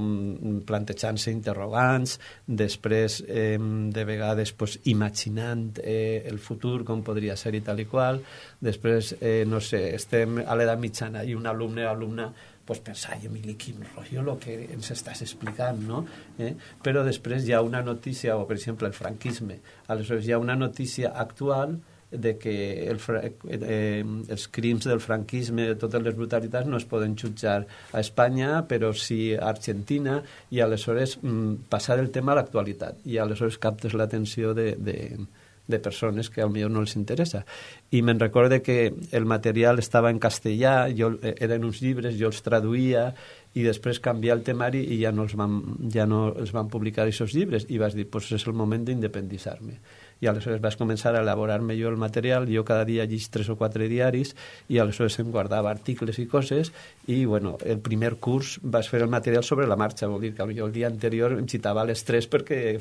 plantejant-se interrogants, després eh, de vegades pues, imaginant eh, el futur, com podria ser i tal i qual, després, eh, no sé, estem a l'edat mitjana i un alumne o alumna pues, pensa, ai, Emili, quin rotllo el que ens estàs explicant, no? Eh? Però després hi ha una notícia, o per exemple el franquisme, aleshores hi ha una notícia actual de que el, eh, els crims del franquisme, totes les brutalitats no es poden jutjar a Espanya, però sí a Argentina, i aleshores mm, passar el tema a l'actualitat, i aleshores captes l'atenció de, de, de persones que potser no els interessa. I me'n recorde que el material estava en castellà, jo, eh, eren uns llibres, jo els traduïa, i després canviar el temari i ja no els van, ja no els van publicar aquests llibres, i vas dir, pues és el moment d'independitzar-me. I aleshores vas començar a elaborar-me jo el material, jo cada dia llig tres o quatre diaris, i aleshores em guardava articles i coses, i bueno, el primer curs vas fer el material sobre la marxa, vol dir que jo el dia anterior em citava les tres perquè...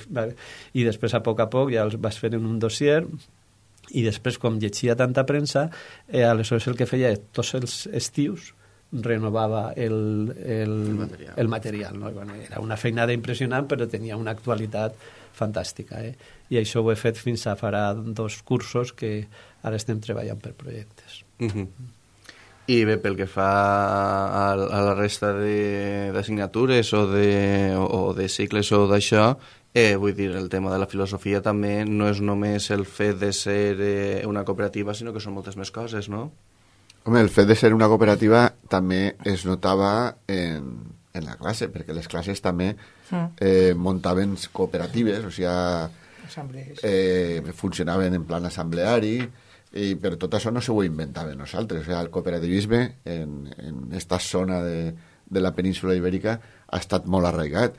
i després a poc a poc ja els vas fer en un dossier, i després com llegia tanta premsa, eh, aleshores el que feia tots els estius renovava el, el, el material, el material no? Bueno, era una feinada impressionant, però tenia una actualitat fantàstica, eh? I això ho he fet fins a farà dos cursos que ara estem treballant per projectes. Uh-huh. I bé, pel que fa a, a la resta d'assignatures o, de, o, o de cicles o d'això, eh, vull dir, el tema de la filosofia també no és només el fet de ser eh, una cooperativa, sinó que són moltes més coses, no? Home, el fet de ser una cooperativa també es notava en, en la classe, perquè les classes també eh, muntaven cooperatives, o sigui, eh, funcionaven en plan assembleari, i per tot això no s'ho ho inventàvem nosaltres. O sigui, el cooperativisme en, en esta zona de, de la península ibèrica ha estat molt arraigat,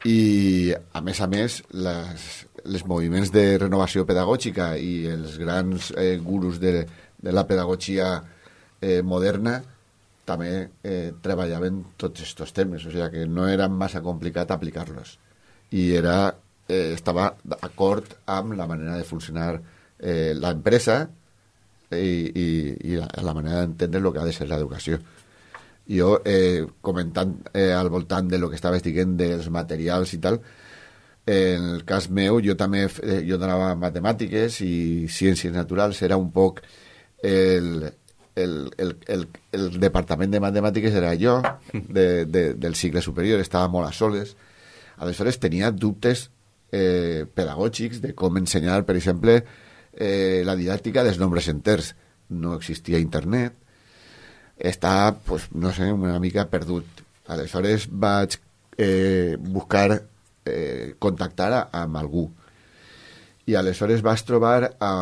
i a més a més les, les moviments de renovació pedagògica i els grans eh, gurus de, de la pedagogia eh, moderna també eh, treballaven tots aquests temes, o sigui que no era massa complicat aplicar-los, i era, eh, estava d'acord amb la manera de funcionar eh, l'empresa i, i, i la, la manera d'entendre el que ha de ser l'educació. Jo, eh, comentant eh, al voltant de lo que estaves dient dels materials i tal, eh, en el cas meu, jo també eh, jo donava matemàtiques i ciències naturals, era un poc el, el, el, el, el departament de matemàtiques era jo, de, de, del cicle superior, estava molt a soles. Aleshores tenia dubtes eh, pedagògics de com ensenyar, per exemple, Eh, la didàctica dels nombres enters. No existia internet, està, pues, no sé, una mica perdut. Aleshores vaig eh, buscar eh, contactar a, amb algú, i aleshores vas trobar a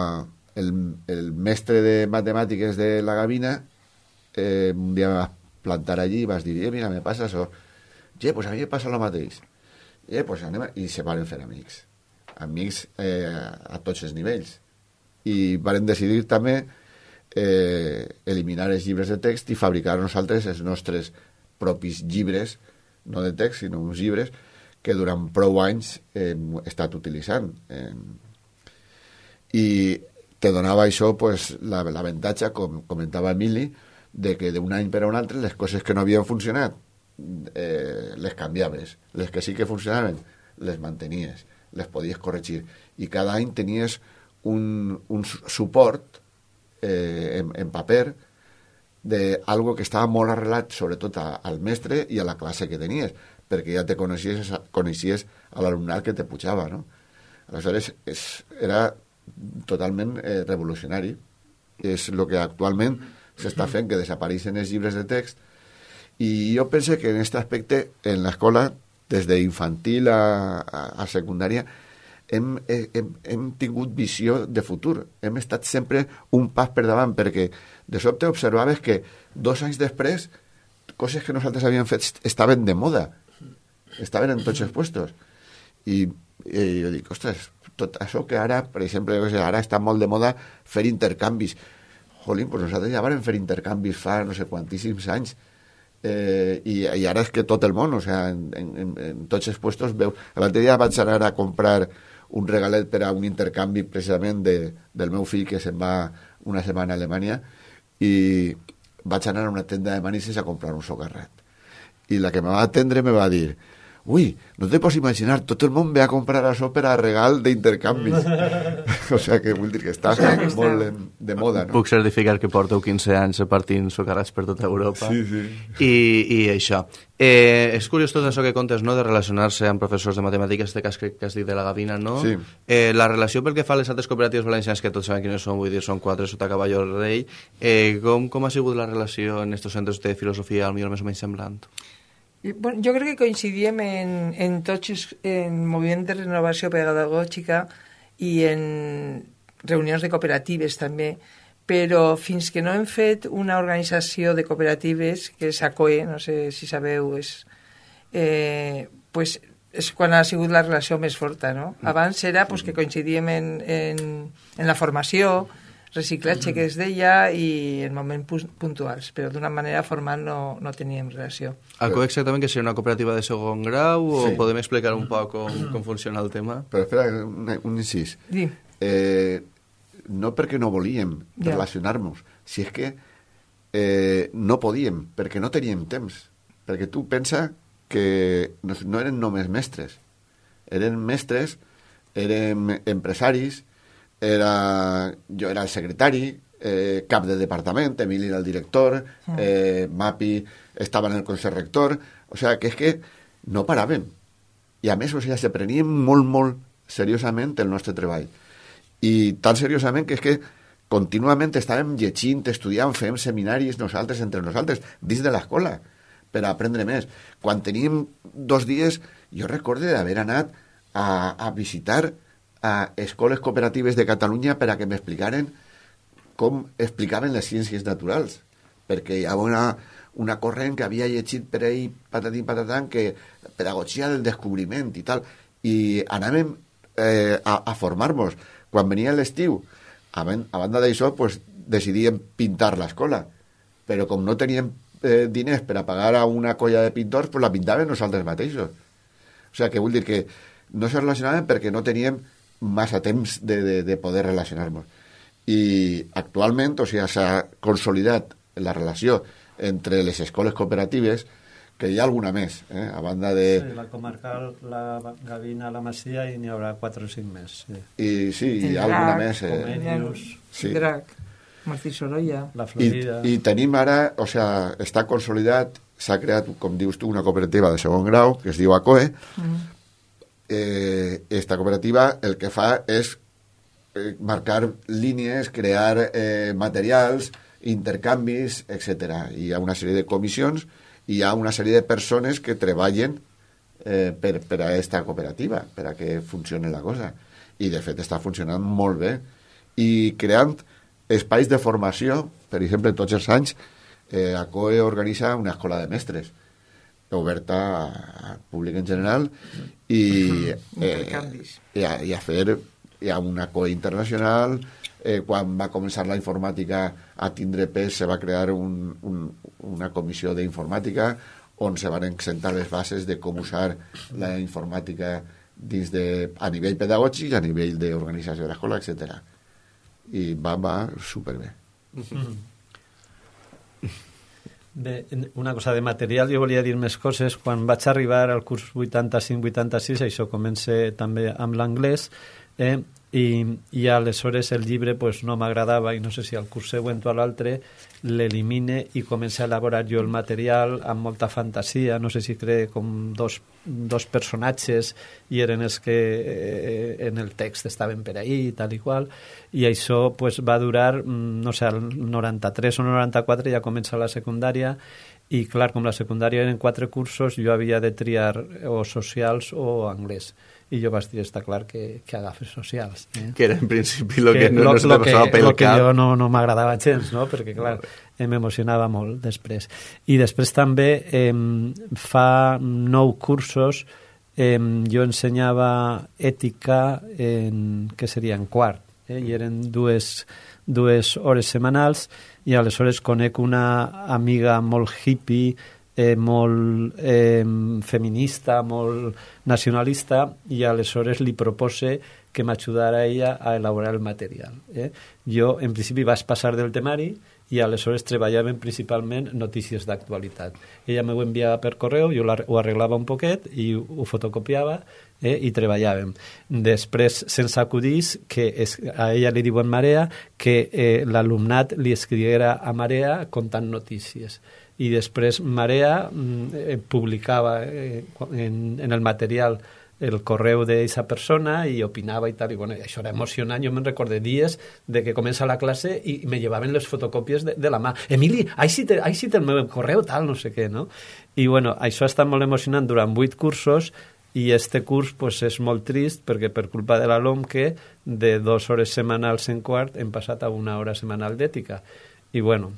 el, el mestre de matemàtiques de la Gavina. Eh, un dia me vas plantar allí i vas dir, eh, mira, me passa això. Ja, pues a mi me passa el mateix. Eh, pues anem a... I se van fer amics amics eh, a tots els nivells, i varen decidir també eh, eliminar els llibres de text i fabricar nosaltres els nostres propis llibres, no de text, sinó uns llibres que durant prou anys hem estat utilitzant. Eh, I te donava això pues, l'avantatge, com comentava Emili, de que d'un any per a un altre les coses que no havien funcionat eh, les canviaves, les que sí que funcionaven les mantenies, les podies corregir, i cada any tenies un, un suport eh, en, en paper de algo que estava molt arrelat sobretot a, al mestre i a la classe que tenies, perquè ja te coneixies, coneixies a l'alumnat que te pujava, no? Aleshores és, era totalment eh, revolucionari. És el que actualment s'està fent, que desapareixen els llibres de text, i jo penso que en aquest aspecte en l'escola, des d'infantil a, a, a secundària, Hem, hem, hem tingut visió de futur, hem estat sempre un pas per davant, perquè de sobte observaves que dos anys després coses que nosaltres havíem fet estaven de moda, estaven en tots els puestos, i, i jo dic, ostres, tot això que ara, per exemple, ara està molt de moda fer intercanvis. Jolín, pues nosaltres ja vam fer intercanvis fa no sé quantíssims anys, eh, i, i ara és que tot el món, o sea, en, en, en tots els puestos veu. L'altre dia vaig anar a comprar un regalet per a un intercanvi precisament de, del meu fill, que se'n va una setmana a Alemanya, i vaig anar a una tenda de manises a comprar un socarrat, i la que me va atendre me va dir, ui, no te pots imaginar, tot el món ve a comprar això per a regal d'intercanvis. O sigui que vull dir que està molt de, de moda, no? Puc certificar que porteu quinze anys repartint socarrats per tota Europa. Sí, sí. I, i això. Eh, és curiós tot això que contes, no?, de relacionar-se amb professors de matemàtiques, este cas que, que has dit de la Gavina, no? Sí. Eh, la relació pel que fa a les altres cooperatives valencianes, que tots saben quines són, vull dir, són quatre sota Cavalló Rei, eh, com, com ha sigut la relació en estos centres de filosofia, al millor més o menys semblant? I, bueno, jo crec que coincidíem en, en tots els en moviments de renovació pedagògica i en reunions de cooperatives també, però fins que no hem fet una organització de cooperatives, que és A C O E, no sé si sabeu, és, eh, pues, és quan ha sigut la relació més forta, no? Abans era pues, que coincidíem en, en, en la formació, reciclatge que es deia, i en moments puntuals, però d'una manera formal no, no teníem relació. A C O E exactament que seria una cooperativa de segon grau, o Sí. podem explicar un poc com, com funciona el tema? Però espera, un, un incís. Sí. Eh, no perquè no volíem Ja. relacionar-nos, si és que eh, no podíem, perquè no teníem temps. Perquè tu pensa que no, no eren només mestres, eren mestres, érem empresaris, era, jo era el secretari, eh, cap de departament, Emili era el director, eh, Mapi estava en el consell rector, o sigui, que és que no paraven. I a més, o sigui, se prenien molt, molt seriosament el nostre treball. I tan seriosament que és que contínuament estàvem llegint, estudiant, fem seminaris nosaltres, entre nosaltres, dins de l'escola, per aprendre més. Quan teníem dos dies, jo recordo d'haver anat a, a visitar a escoles cooperatives de Catalunya per a que m'explicaren com explicaven les ciències naturals, perquè hi ha una, una corrent que havia llegit per ahí, patatín, patatán, que pedagogia del descobriment i tal, i anàvem eh, a, a formar-nos. Quan venia l'estiu, a, a banda d'això, pues, decidíem pintar l'escola, però com no teníem eh, diners per a pagar a una colla de pintors, pues la pintàvem nosaltres mateixos. O sigui, que vull dir que no se relacionaven perquè no teníem massa temps de, de, de poder relacionar-nos. I actualment, o sigui, s'ha consolidat la relació entre les escoles cooperatives, que hi ha alguna més, eh? A banda de... Sí, la comarcal, la Gavina, la Masia, i n'hi haurà quatre o cinc més. Sí. I sí, hi ha alguna més. Eh? Comenius, sí. Drac, Martí Sorolla. La Florida. I, I tenim ara, o sigui, està consolidat, s'ha creat, com dius tu, una cooperativa de segon grau, que es diu ACOE. Mm. Eh, esta cooperativa el que fa és eh, marcar línies, crear eh, materials, intercanvis, etcètera. Hi ha una sèrie de comissions, hi ha una sèrie de persones que treballen eh, per, per a aquesta cooperativa, per a que funcioni la cosa. I, de fet, està funcionant molt bé. I creant espais de formació, per exemple, tots els anys, eh, ACOE organitza una escola de mestres, oberta al públic en general, i, eh, i, a, i a fer hi ha una ACOE internacional. Eh, quan va començar la informàtica a tindre pes, se va crear un, un, una comissió d'informàtica on se van exentar les bases de com usar la informàtica dins de, a nivell pedagògic, a nivell d'organització de l'escola, etcètera. I va, va superbé. Mm. Bé, una cosa de material, jo volia dir més coses. Quan vaig arribar al curs vuitanta-cinc vuitanta-sis, això comença també amb l'anglès, eh? I, i aleshores el llibre pues, no m'agradava, i no sé si al curs següent o a l'altre l'elimine i comença a elaborar jo el material amb molta fantasia. No sé si cree com dos, dos personatges i eren els que eh, en el text estaven per ahí i tal i qual, i això pues, va durar, no sé, el noranta-tres o noranta-quatre ja comença la secundària. I clar, com la secundària eren quatre cursos, jo havia de triar o socials o anglès. I jo vaig dir, està clar que, que agafes socials. Eh? Que era en principi el que, que no, no se te passava pel cap. El que jo no, no m'agradava gens, no? Perquè clar, eh, m'emocionava molt després. I després també eh, fa nou cursos eh, jo ensenyava ètica en, que seria en quart, eh? I eren dues, dues hores setmanals, i aleshores conec una amiga molt hippie, Eh, molt eh, feminista, molt nacionalista, i aleshores li propose que m'ajudara ella a elaborar el material. Eh? Jo, en principi, vaig passar del temari i aleshores treballàvem principalment notícies d'actualitat. Ella m'ho enviava per correu, jo ho arreglava un poquet i ho fotocopiava, eh, i treballàvem. Després, sense acudís, que es, a ella li diuen Marea, que eh, l'alumnat li escriguera a Marea contant notícies. I després Marea eh, publicava eh, en, en el material el correu d'aquesta persona i opinava i tal, i bueno, això era emocionant. Jo me'n recordé dies de que comença la classe i me llevaven les fotocòpies de, de la mà. Emili, així té, així té el meu correu, tal, no sé què, no? I bueno, això ha estat molt emocionant durant vuit cursos, i este curs pues, és molt trist perquè per culpa de la LOMQE de dues hores setmanals en quart hem passat a una hora setmanal d'ètica. I bueno,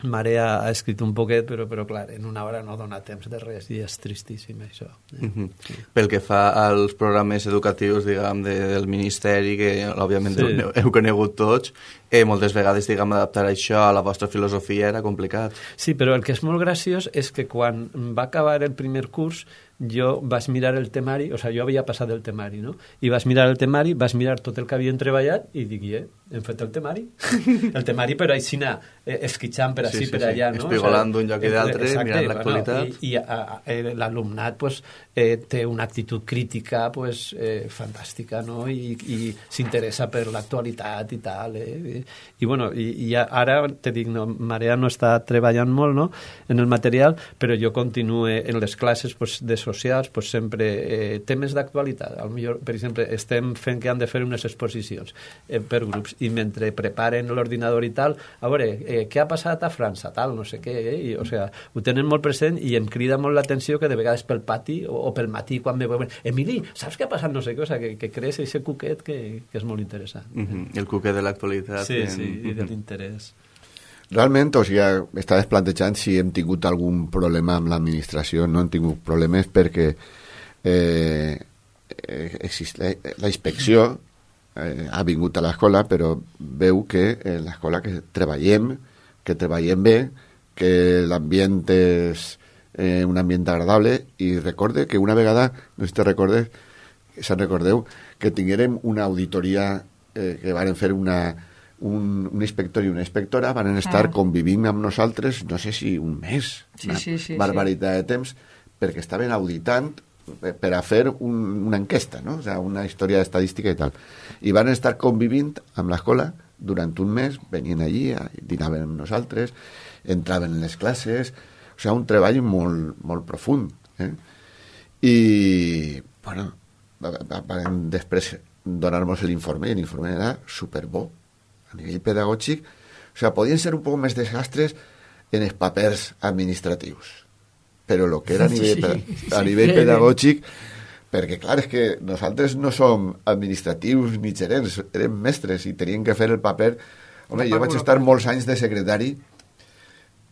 Marea ha escrit un poquet, però, però clar, en una hora no dona temps de res i és tristíssim això. Eh? Mm-hmm. Sí. Pel que fa als programes educatius, diguem, de, del Ministeri, que òbviament sí. heu, heu conegut tots, eh, moltes vegades, diguem, adaptar això a la vostra filosofia era complicat. Sí, però el que és molt graciós és que quan va acabar el primer curs jo vaig mirar el temari, o sigui, jo havia passat el temari, no? I vas mirar el temari, vas mirar tot el que havien treballat i dic, eh, hem fet el temari. El temari, però així anar eh, esquitxant per així, sí, sí, per allà, sí. no? Espigolant o sigui, d'un lloc i d'altre, mirant l'actualitat. Bueno, I, i a, a, l'alumnat pues, eh, té una actitud crítica pues, eh, fantàstica, no? I, i s'interessa per l'actualitat i tal. Eh? I, i, bueno, i, i ara, te dic, no, Marea no està treballant molt, no?, en el material, però jo continuo en les classes pues, de socials, pues, sempre eh, temes d'actualitat. Per exemple, estem fent que han de fer unes exposicions eh, per grups, i mentre preparen l'ordinador i tal, a veure, eh, què ha passat a França, tal, no sé què, eh? I, o sea, ho tenen molt present i em crida molt l'atenció que de vegades pel pati o, o pel matí quan me veuen, Emili, saps què ha passat, no sé què, o sea, que, que crees aquest cuquet que, que és molt interessant. Uh -huh. El cuquet de l'actualitat. Sí, en... sí, i de l'interès. Realment, o sigui, estaves plantejant si hem tingut algun problema amb l'administració. No hem tingut problemes perquè eh, exist, la, la inspecció eh, ha vingut a l'escola, però veu que en l'escola que treballem, que treballem bé, que l'ambient és eh, un ambient agradable, i recorde que una vegada, no sé si te recordes, se'n recordeu, que tinguérem una auditoria eh, que varen fer una... Un, un inspector i una inspectora van estar ah. convivint amb nosaltres, no sé si un mes, sí, una sí, sí, barbaritat sí. de temps, perquè estaven auditant per a fer un, una enquesta, no? O sea, una història estadística i tal. I van estar convivint amb l'escola durant un mes, venien allí, dinaven amb nosaltres, entraven en les classes, o sigui, un treball molt, molt profund. Eh? I, bueno, van després donar-nos l'informe, i l'informe era superbo. A nivell pedagògic, o sigui, podien ser un poc més desastres en els papers administratius, però el que era a nivell, sí, a nivell sí, pedagògic, perquè clar, és que nosaltres no som administratius ni gerents, érem mestres i teníem que fer el paper. Home, jo vaig estar molts anys de secretari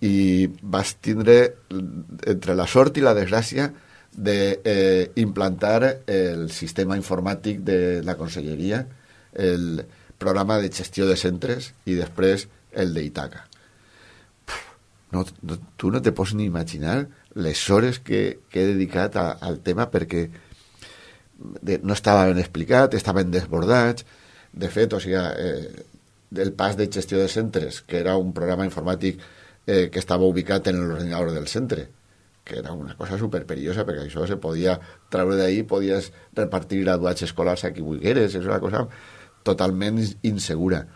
i vaig tindre entre la sort i la desgràcia d'implantar eh, el sistema informàtic de la conselleria, el programa de gestió de centres i després el d'Itaca. No, no, tu no te pots ni imaginar les hores que, que he dedicat a, al tema perquè de, no estava ben explicat, estaven desbordats. De fet, o sigui, eh, el pas de gestió de centres, que era un programa informàtic eh, que estava ubicat en l'ordinador del centre, que era una cosa superperillosa perquè això se podia treure d'ahí, podies repartir graduats escolars a qui vulgueres, és una cosa totalment insegura.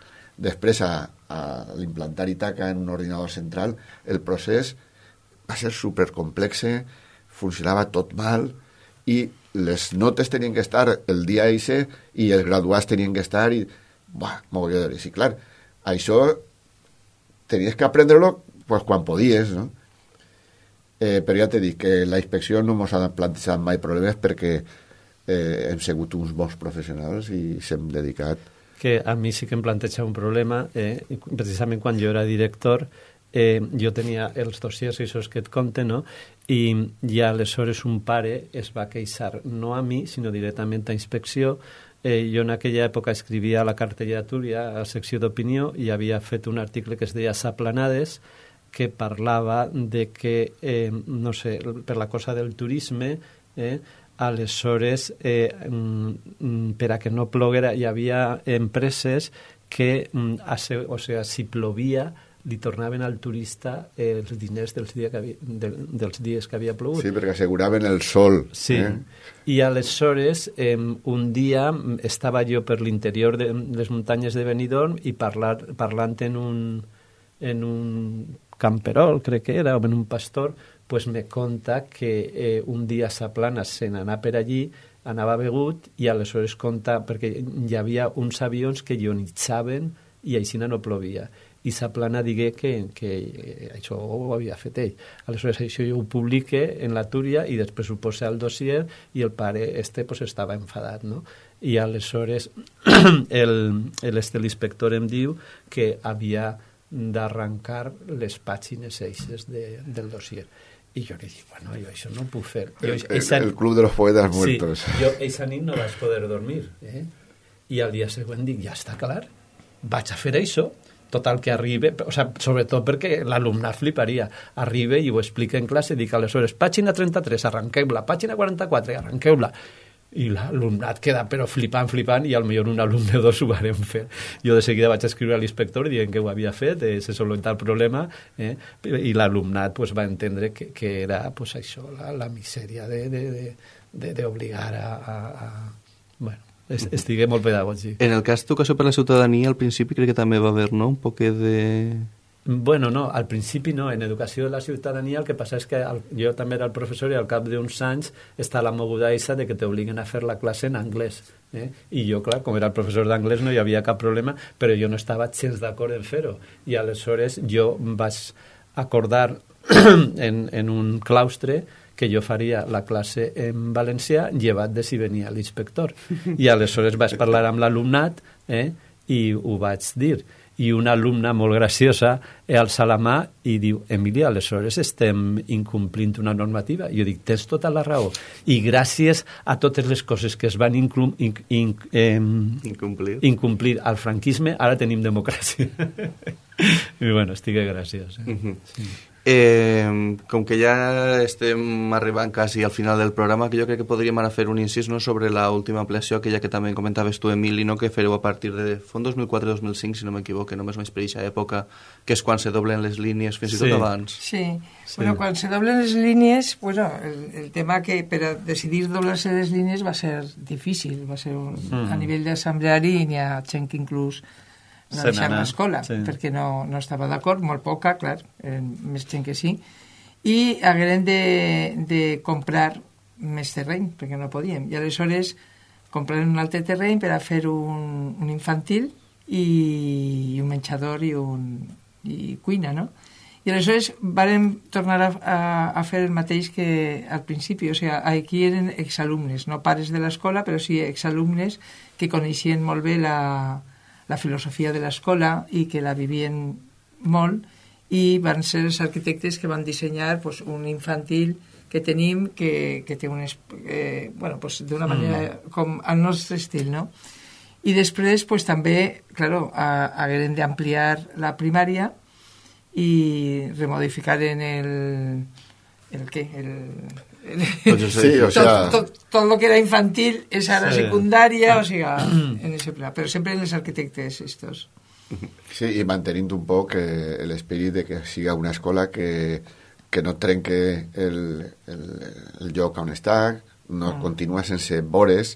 Després, a, a l'implantar Itaca en un ordinador central, el procés va ser supercomplexe, funcionava tot mal, i les notes tenien que estar el dia eixe i els graduats tenien que estar, i, buah, mogolló d'hores. I clar, això tenies que aprendre-lo pues, quan podies, no? Eh, però ja t'he dit que la inspecció no ens ha plantejat mai problemes perquè Eh, hem sigut uns bons professionals i s'hem dedicat. Que a mi sí que em planteja un problema, eh, precisament quan jo era director, eh, jo tenia els dossiers aquests que et conten, no? I, i aleshores un pare es va queixar, no a mi, sinó directament a inspecció. Eh, jo en aquella època escrivia a la cartella Túria, a la secció d'opinió, i havia fet un article que es deia Saplanades, que parlava de que, eh, no sé, per la cosa del turisme, eh, aleshores, eh, per a que no ploguera, hi havia empreses que, o sigui, si plovia, li tornaven al turista els diners dels, dia que havia, de, dels dies que havia plogut. Sí, perquè asseguraven el sol. Sí, eh? I aleshores, eh, un dia estava jo per l'interior de les muntanyes de Benidorm i parlar, parlant en un, en un camperol, crec que era, o en un pastor, pues me conta que eh, un dia Saplana se n'anà per allí, anava begut, i aleshores conta, perquè hi havia uns avions que ionitzaven i així no plovia. I Saplana digué que, que eh, això ho havia fet ell. Aleshores això jo ho publique en la Túria i després ho posa al dossier i el pare este pues, estava enfadat, no? I aleshores el, el este l'inspector em diu que havia d'arrencar les pàgines eixes de, del dossier. I jo li dic, bueno, jo això no ho puc fer. Jo, el, el, el club de los poetas muertos. Sí, jo eixa nit no vaig poder dormir. Eh? I al dia següent dic, ja està clar, vaig a fer això. total que arriba, o sea, sobretot perquè l'alumnat fliparia, arriba i ho explica en classe, dic aleshores, pàgina trenta-tres, arranqueu-la, pàgina quaranta-quatre, arranqueu-la, i l'alumnat queda però flipant, flipant, i potser un alumne o dos ho varem fer. Jo de seguida vaig escriure a l'inspector dient que ho havia fet, eh, se solucionat el problema, eh, i l'alumnat pues, va entendre que, que era pues, això, la, la misèria d'obligar a, a, a... Bueno, estigué molt pedagògic. En el cas d'educació per la ciutadania, al principi crec que també va haver, no?, un poc de... Bueno, no, al principi no. En educació de la ciutadania el que passa és que el, jo també era el professor i al cap d'uns anys està la moguda eixa de que t'obliguen a fer la classe en anglès. Eh? I jo, clar, com era el professor d'anglès no hi havia cap problema, però jo no estava gens d'acord en fer-ho. I aleshores jo vaig acordar en, en un claustre que jo faria la classe en valencià llevat de si venia l'inspector. I aleshores vaig parlar amb l'alumnat eh, i ho vaig dir. I una alumna molt graciosa alça la mà i diu, Emília, aleshores estem incomplint una normativa. Jo dic, tens tota la raó. I gràcies a totes les coses que es van inclum, inc, inc, eh, incomplir. incomplir al franquisme, ara tenim democràcia. I bueno, estic graciós. Eh? Uh-huh. Sí. Eh, com que ja estem arribant quasi al final del programa, que jo crec que podríem anar a fer un incís, no?, sobre l'última ampliació, aquella que també comentaves tu, Emili, no?, que fareu a partir de font dos mil quatre dos mil cinc, si no m'equivoco, només més per aquesta època, que és quan se doblen les línies, fins i tot sí. abans. Sí. sí, bueno, quan se doblen les línies, bueno, el, el tema que per a decidir doblar-se les línies va ser difícil, va ser un, mm. a nivell d'assembleari, n'hi ha gent que inclús no deixar l'escola, sí. perquè no, no estava d'acord, molt poca, clar, eren més gent que sí, i hagueren de, de comprar més terreny, perquè no podíem, i aleshores compraren un altre terreny per a fer un, un infantil i, i un menjador i, un, i cuina, no? I aleshores vàrem tornar a, a, a fer el mateix que al principi, o sigui, aquí eren exalumnes, no pares de l'escola, però sí exalumnes que coneixien molt bé la la filosofia de l'escola i que la vivien molt, i van ser els arquitectes que van dissenyar pues, un infantil que tenim que, que té un... Eh, bueno, pues, d'una manera mm. com al nostre estil, no? I després pues, també, claro, hagueren d'ampliar la primària i remodificar en el... el què? El... Pues sí, o sea... tot, tot, tot lo que era infantil és ara sí. secundària, o sigui, en ese pla, però sempre en els arquitectes estos. Sí, i mantenint un poc eh, l'esperit de que siga una escola que, que no trenque el, el, el lloc on està, no mm. continua sense vores,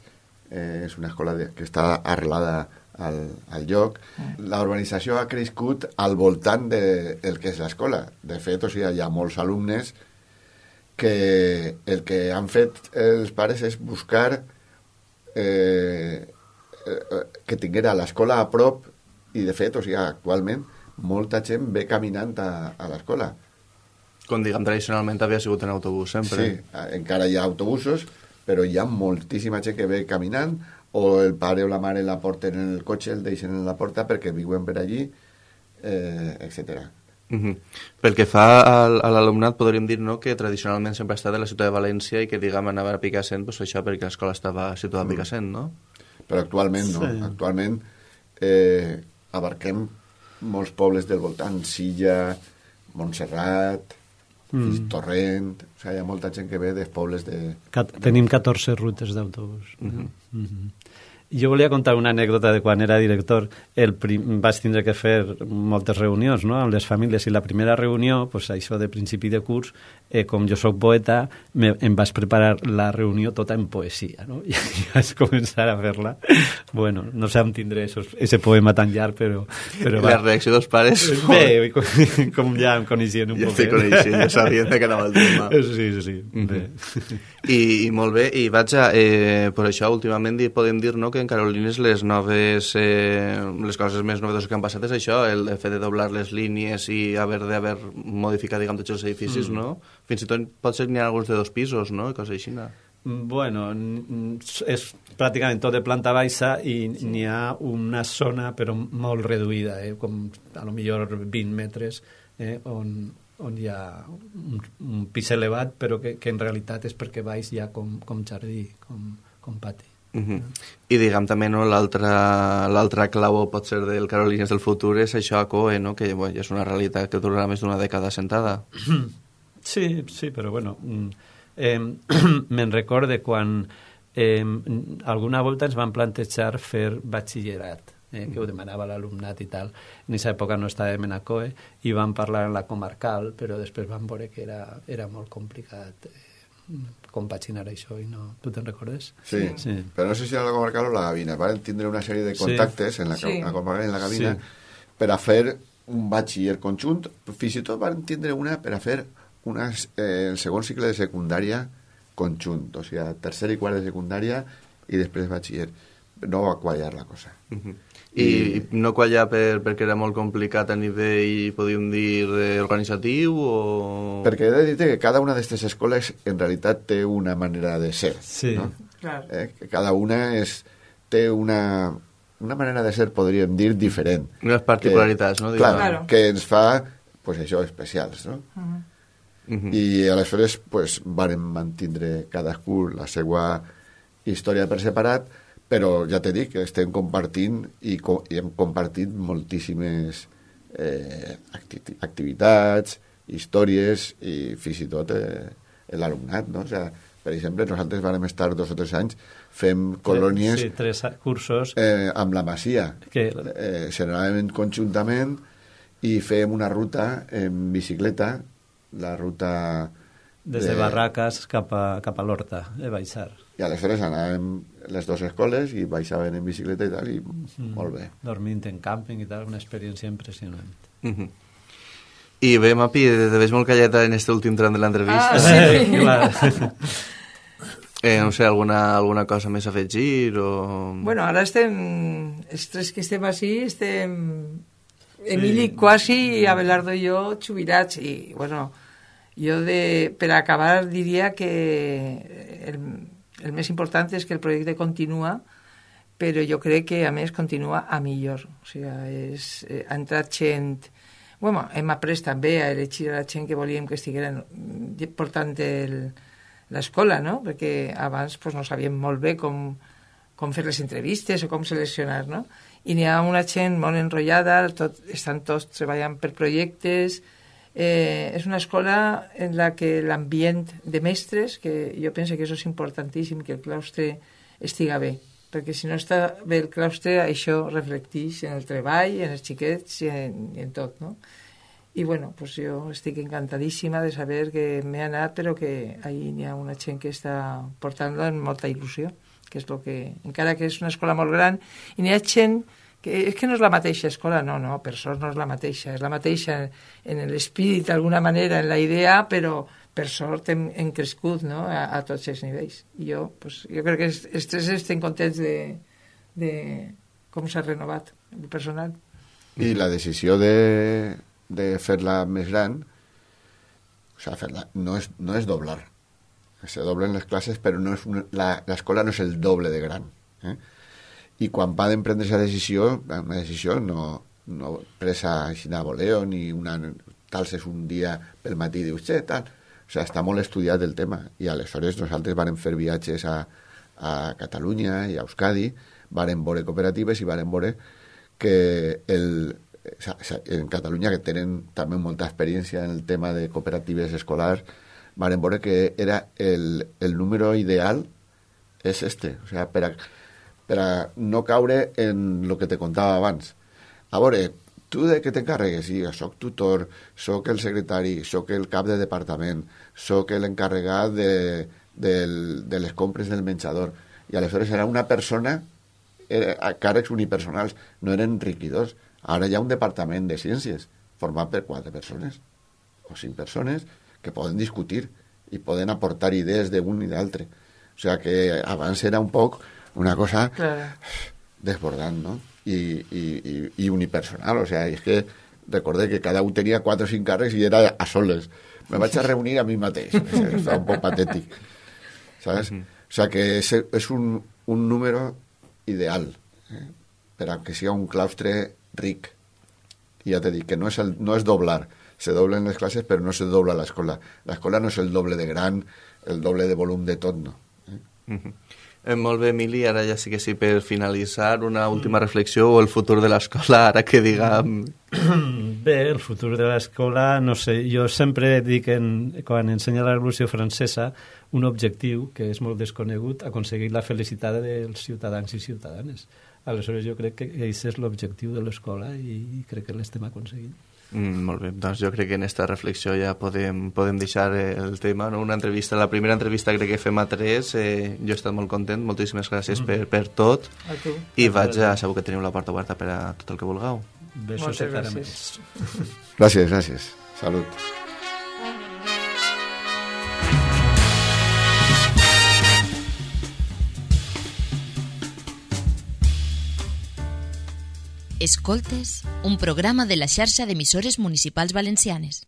eh, és una escola de, que està arrelada al, al lloc. Mm. La urbanització ha crescut al voltant de, del que és l'escola. De fet, o sigui, hi ha molts alumnes que el que han fet els pares és buscar eh, que tinguera l'escola a prop, i de fet, o sigui, actualment molta gent ve caminant a, a l'escola. Com diguem, tradicionalment havia sigut en autobús sempre. Sí, encara hi ha autobusos, però hi ha moltíssima gent que ve caminant, o el pare o la mare la porten en el cotxe, el deixen en la porta perquè viuen per allí, eh, etcètera. Uh-huh. Pel que fa al, a l'alumnat, podríem dir, no?, que tradicionalment sempre ha estat a la ciutat de València i que, diguem, anava a Picassent, pues, això perquè l'escola estava situada a Picassent, no? Però actualment no. Sí. Actualment eh, abarquem molts pobles del voltant, Silla, Montserrat, mm. Torrent, o sigui, hi ha molta gent que ve dels pobles de... Cat- tenim catorze rutes d'autobús. Uh-huh. Uh-huh. Jo volia contar una anècdota de quan era director. El prim... Vaig tindre que fer moltes reunions, no?, amb les famílies, i la primera reunió, pues, això de principi de curs, eh, com jo sóc poeta, me, em vaig preparar la reunió tota en poesia, no? I, i vaig començar a fer-la. Bueno, no sé on tindré ese poema tan llarg, però... però la reacció dels pares... Bé, com, com ja em coneixien un ja poc. Ja coneixien, ja sabien que anava el tema. Sí, sí, sí. Uh-huh. Bé. I, I molt bé, i vaig a... Eh, per això, últimament podem dir, no?, que en Carolines les noves... Eh, les coses més novedoses que han passat és això, el fet de doblar les línies i haver d'haver modificat, diguem, tots els edificis, mm. no? Fins i tot pot ser que n'hi ha alguns de dos pisos, no?, i coses així, no? Bueno, és pràcticament tot de planta baixa i sí. n'hi ha una zona però molt reduïda, eh? Com a lo millor vint metres, eh? on, on hi ha un, un pis elevat, però que, que en realitat és perquè baix hi ha com, com jardí, com, com pati. Uh-huh. I diguem també, no, l'altra clau pot ser del Carolines del futur és això a C O E, no? Que bueno, és una realitat que durarà més d'una dècada sentada. Sí, sí, però bueno, eh, me'n recorde quan eh, alguna volta ens van plantejar fer batxillerat, eh, que ho demanava l'alumnat i tal. En aquesta època no estàvem en a C O E i vam parlar en la comarcal, però després vam veure que era, era molt complicat eh, compaginar això i no... Tu te'n recordes? Sí, sí, però no sé si era la comarcal o la Gavina. Van tindre una sèrie de contactes sí. en la, sí. la comarcal i en la Gavina sí. per a fer un batxiller conjunt. Fins i tot van tindre una per a fer una, eh, el segon cicle de secundària conjunt, o sigui, tercer i quart de secundària i després batxiller. No va quallar la cosa. Uh-huh. I, I no quallar per, perquè era molt complicat a nivell, podríem dir, organitzatiu o... Perquè he de dir que cada una d'aquestes escoles en realitat té una manera de ser. Sí. No? Clar. Eh? Que cada una és, té una, una manera de ser, podríem dir, diferent. Unes particularitats, que, no? Clar, claro. que ens fa, pues això, especials, no? Uh-huh. Uh-huh. I aleshores, pues, vàrem mantindre cadascú la seva història per separat, però ja t'he dit que estem compartint i, co i hem compartit moltíssimes eh, acti activitats, històries i fins i tot eh, l'alumnat, no? O sea, per exemple, nosaltres vam estar dos o tres anys fem colònies sí, tres cursos eh, amb la Masia que... eh, se n'anàvem conjuntament i fèiem una ruta en bicicleta, la ruta des de, de Barraques cap a, cap a l'Horta, de baixar. I aleshores anàvem les dues escoles i baixaven en bicicleta i tal, i mm. molt bé. Dormint en càmping i tal, una experiència impressionant. Mm-hmm. I bé, Mapi, te veig molt calleta en este últim tram de l'entrevista. Ah, sí. Clar. eh, no sé, alguna, alguna cosa més a afegir o... Bueno, ara estem, els tres que estem així, estem... Sí. Emili quasi i Abelardo i jo jubilats i, bueno... Jo, de, per acabar, diria que el, el més important és que el projecte continua, però jo crec que, a més, continua a millor. O sigui, és, eh, ha entrat gent... Bueno, hem après també a elegir a la gent que volíem que estigueren portant l'escola, no? Perquè abans pues, no sabíem molt bé com, com fer les entrevistes o com seleccionar, no? I n'hi ha una gent molt enrotllada, tot, estan tots treballant per projectes... Eh, és una escola en la que l'ambient de mestres, que jo penso que això és importantíssim, que el claustre estiga bé, perquè si no està bé el claustre, això reflecteix en el treball, en els xiquets i en, i en tot, no? I bueno, pues jo estic encantadíssima de saber que m'he anat, però que ahí n'hi ha una gent que està portant-lo amb molta il·lusió, que és el que, encara que és una escola molt gran, i n'hi ha gent que és que no és la mateixa escola, no, no, per sort no és la mateixa, és la mateixa en l'espírit d'alguna manera, en la idea, però per sort hem, hem crescut, no?, a, a tots els nivells. I jo, pues, jo crec que els, els tres estem contents de, de com s'ha renovat el personal. I la decisió de, de fer-la més gran, o sigui, fer-la, no és, no és doblar. Se doblen les classes, però no és una, la, l'escola no és el doble de gran, eh? I quan van prendre aquesta decisió, una decisió no, no presa així a voleo, ni una, tal és un dia pel matí, dius, xe, tal. O sigui, està molt estudiat el tema. I aleshores nosaltres vàrem fer viatges a, a Catalunya i a Euskadi, vàrem veure cooperatives i vàrem veure que el, en Catalunya, que tenen també molta experiència en el tema de cooperatives escolars, vàrem veure que era el, el número ideal és este. O sigui, per a per a no caure en el que te contava abans. A veure, tu de què t'encarregues? Sí, soc tutor, soc el secretari, soc el cap de departament, soc l'encarregat de, de, de les compres del menjador. I aleshores era una persona, era, a càrrecs unipersonals, no eren enriquidors. Ara hi ha un departament de ciències format per quatre persones o cinc persones que poden discutir i poden aportar idees d'un i d'altre. O sigui que abans era un poc una cosa claro. Desbordant, ¿no? I, i, i, i unipersonal, o sea, és que recordé que cada un tenia quatre o cinc càrrecs i era a soles. Me vaig a reunir a mi mateix. Està un poc patètic. ¿Sabes? Uh-huh. O sea, que és, és un, un número ideal eh? Per a que sigui un claustre ric. I ja t'he dit que no és, el, no és doblar. Se doblen les classes, però no se dobla l'escola. L'escola no és el doble de gran, el doble de volum de tot, no. Eh? Uh-huh. Eh, molt bé, Emili, ara ja sí que sí, per finalitzar, una última reflexió o el futur de l'escola, ara que diguem... Bé, el futur de l'escola, no sé, jo sempre dic, en, quan ensenya la Revolució Francesa, un objectiu que és molt desconegut, aconseguir la felicitat dels ciutadans i ciutadanes. Aleshores, jo crec que aquest és l'objectiu de l'escola i crec que l'estem aconseguint. Mm, molt bé, doncs jo crec que en aquesta reflexió ja podem, podem deixar el tema, no? Una entrevista, la primera entrevista crec que fem a tres, eh, jo he estat molt content, moltíssimes gràcies mm. per, per tot, a tu. I vaig a, sabeu que teniu la porta oberta per a tot el que vulgueu. Besos i caramels. Gràcies, gràcies. Salut. Escoltes, un programa de la xarxa d'emissores municipals valencianes.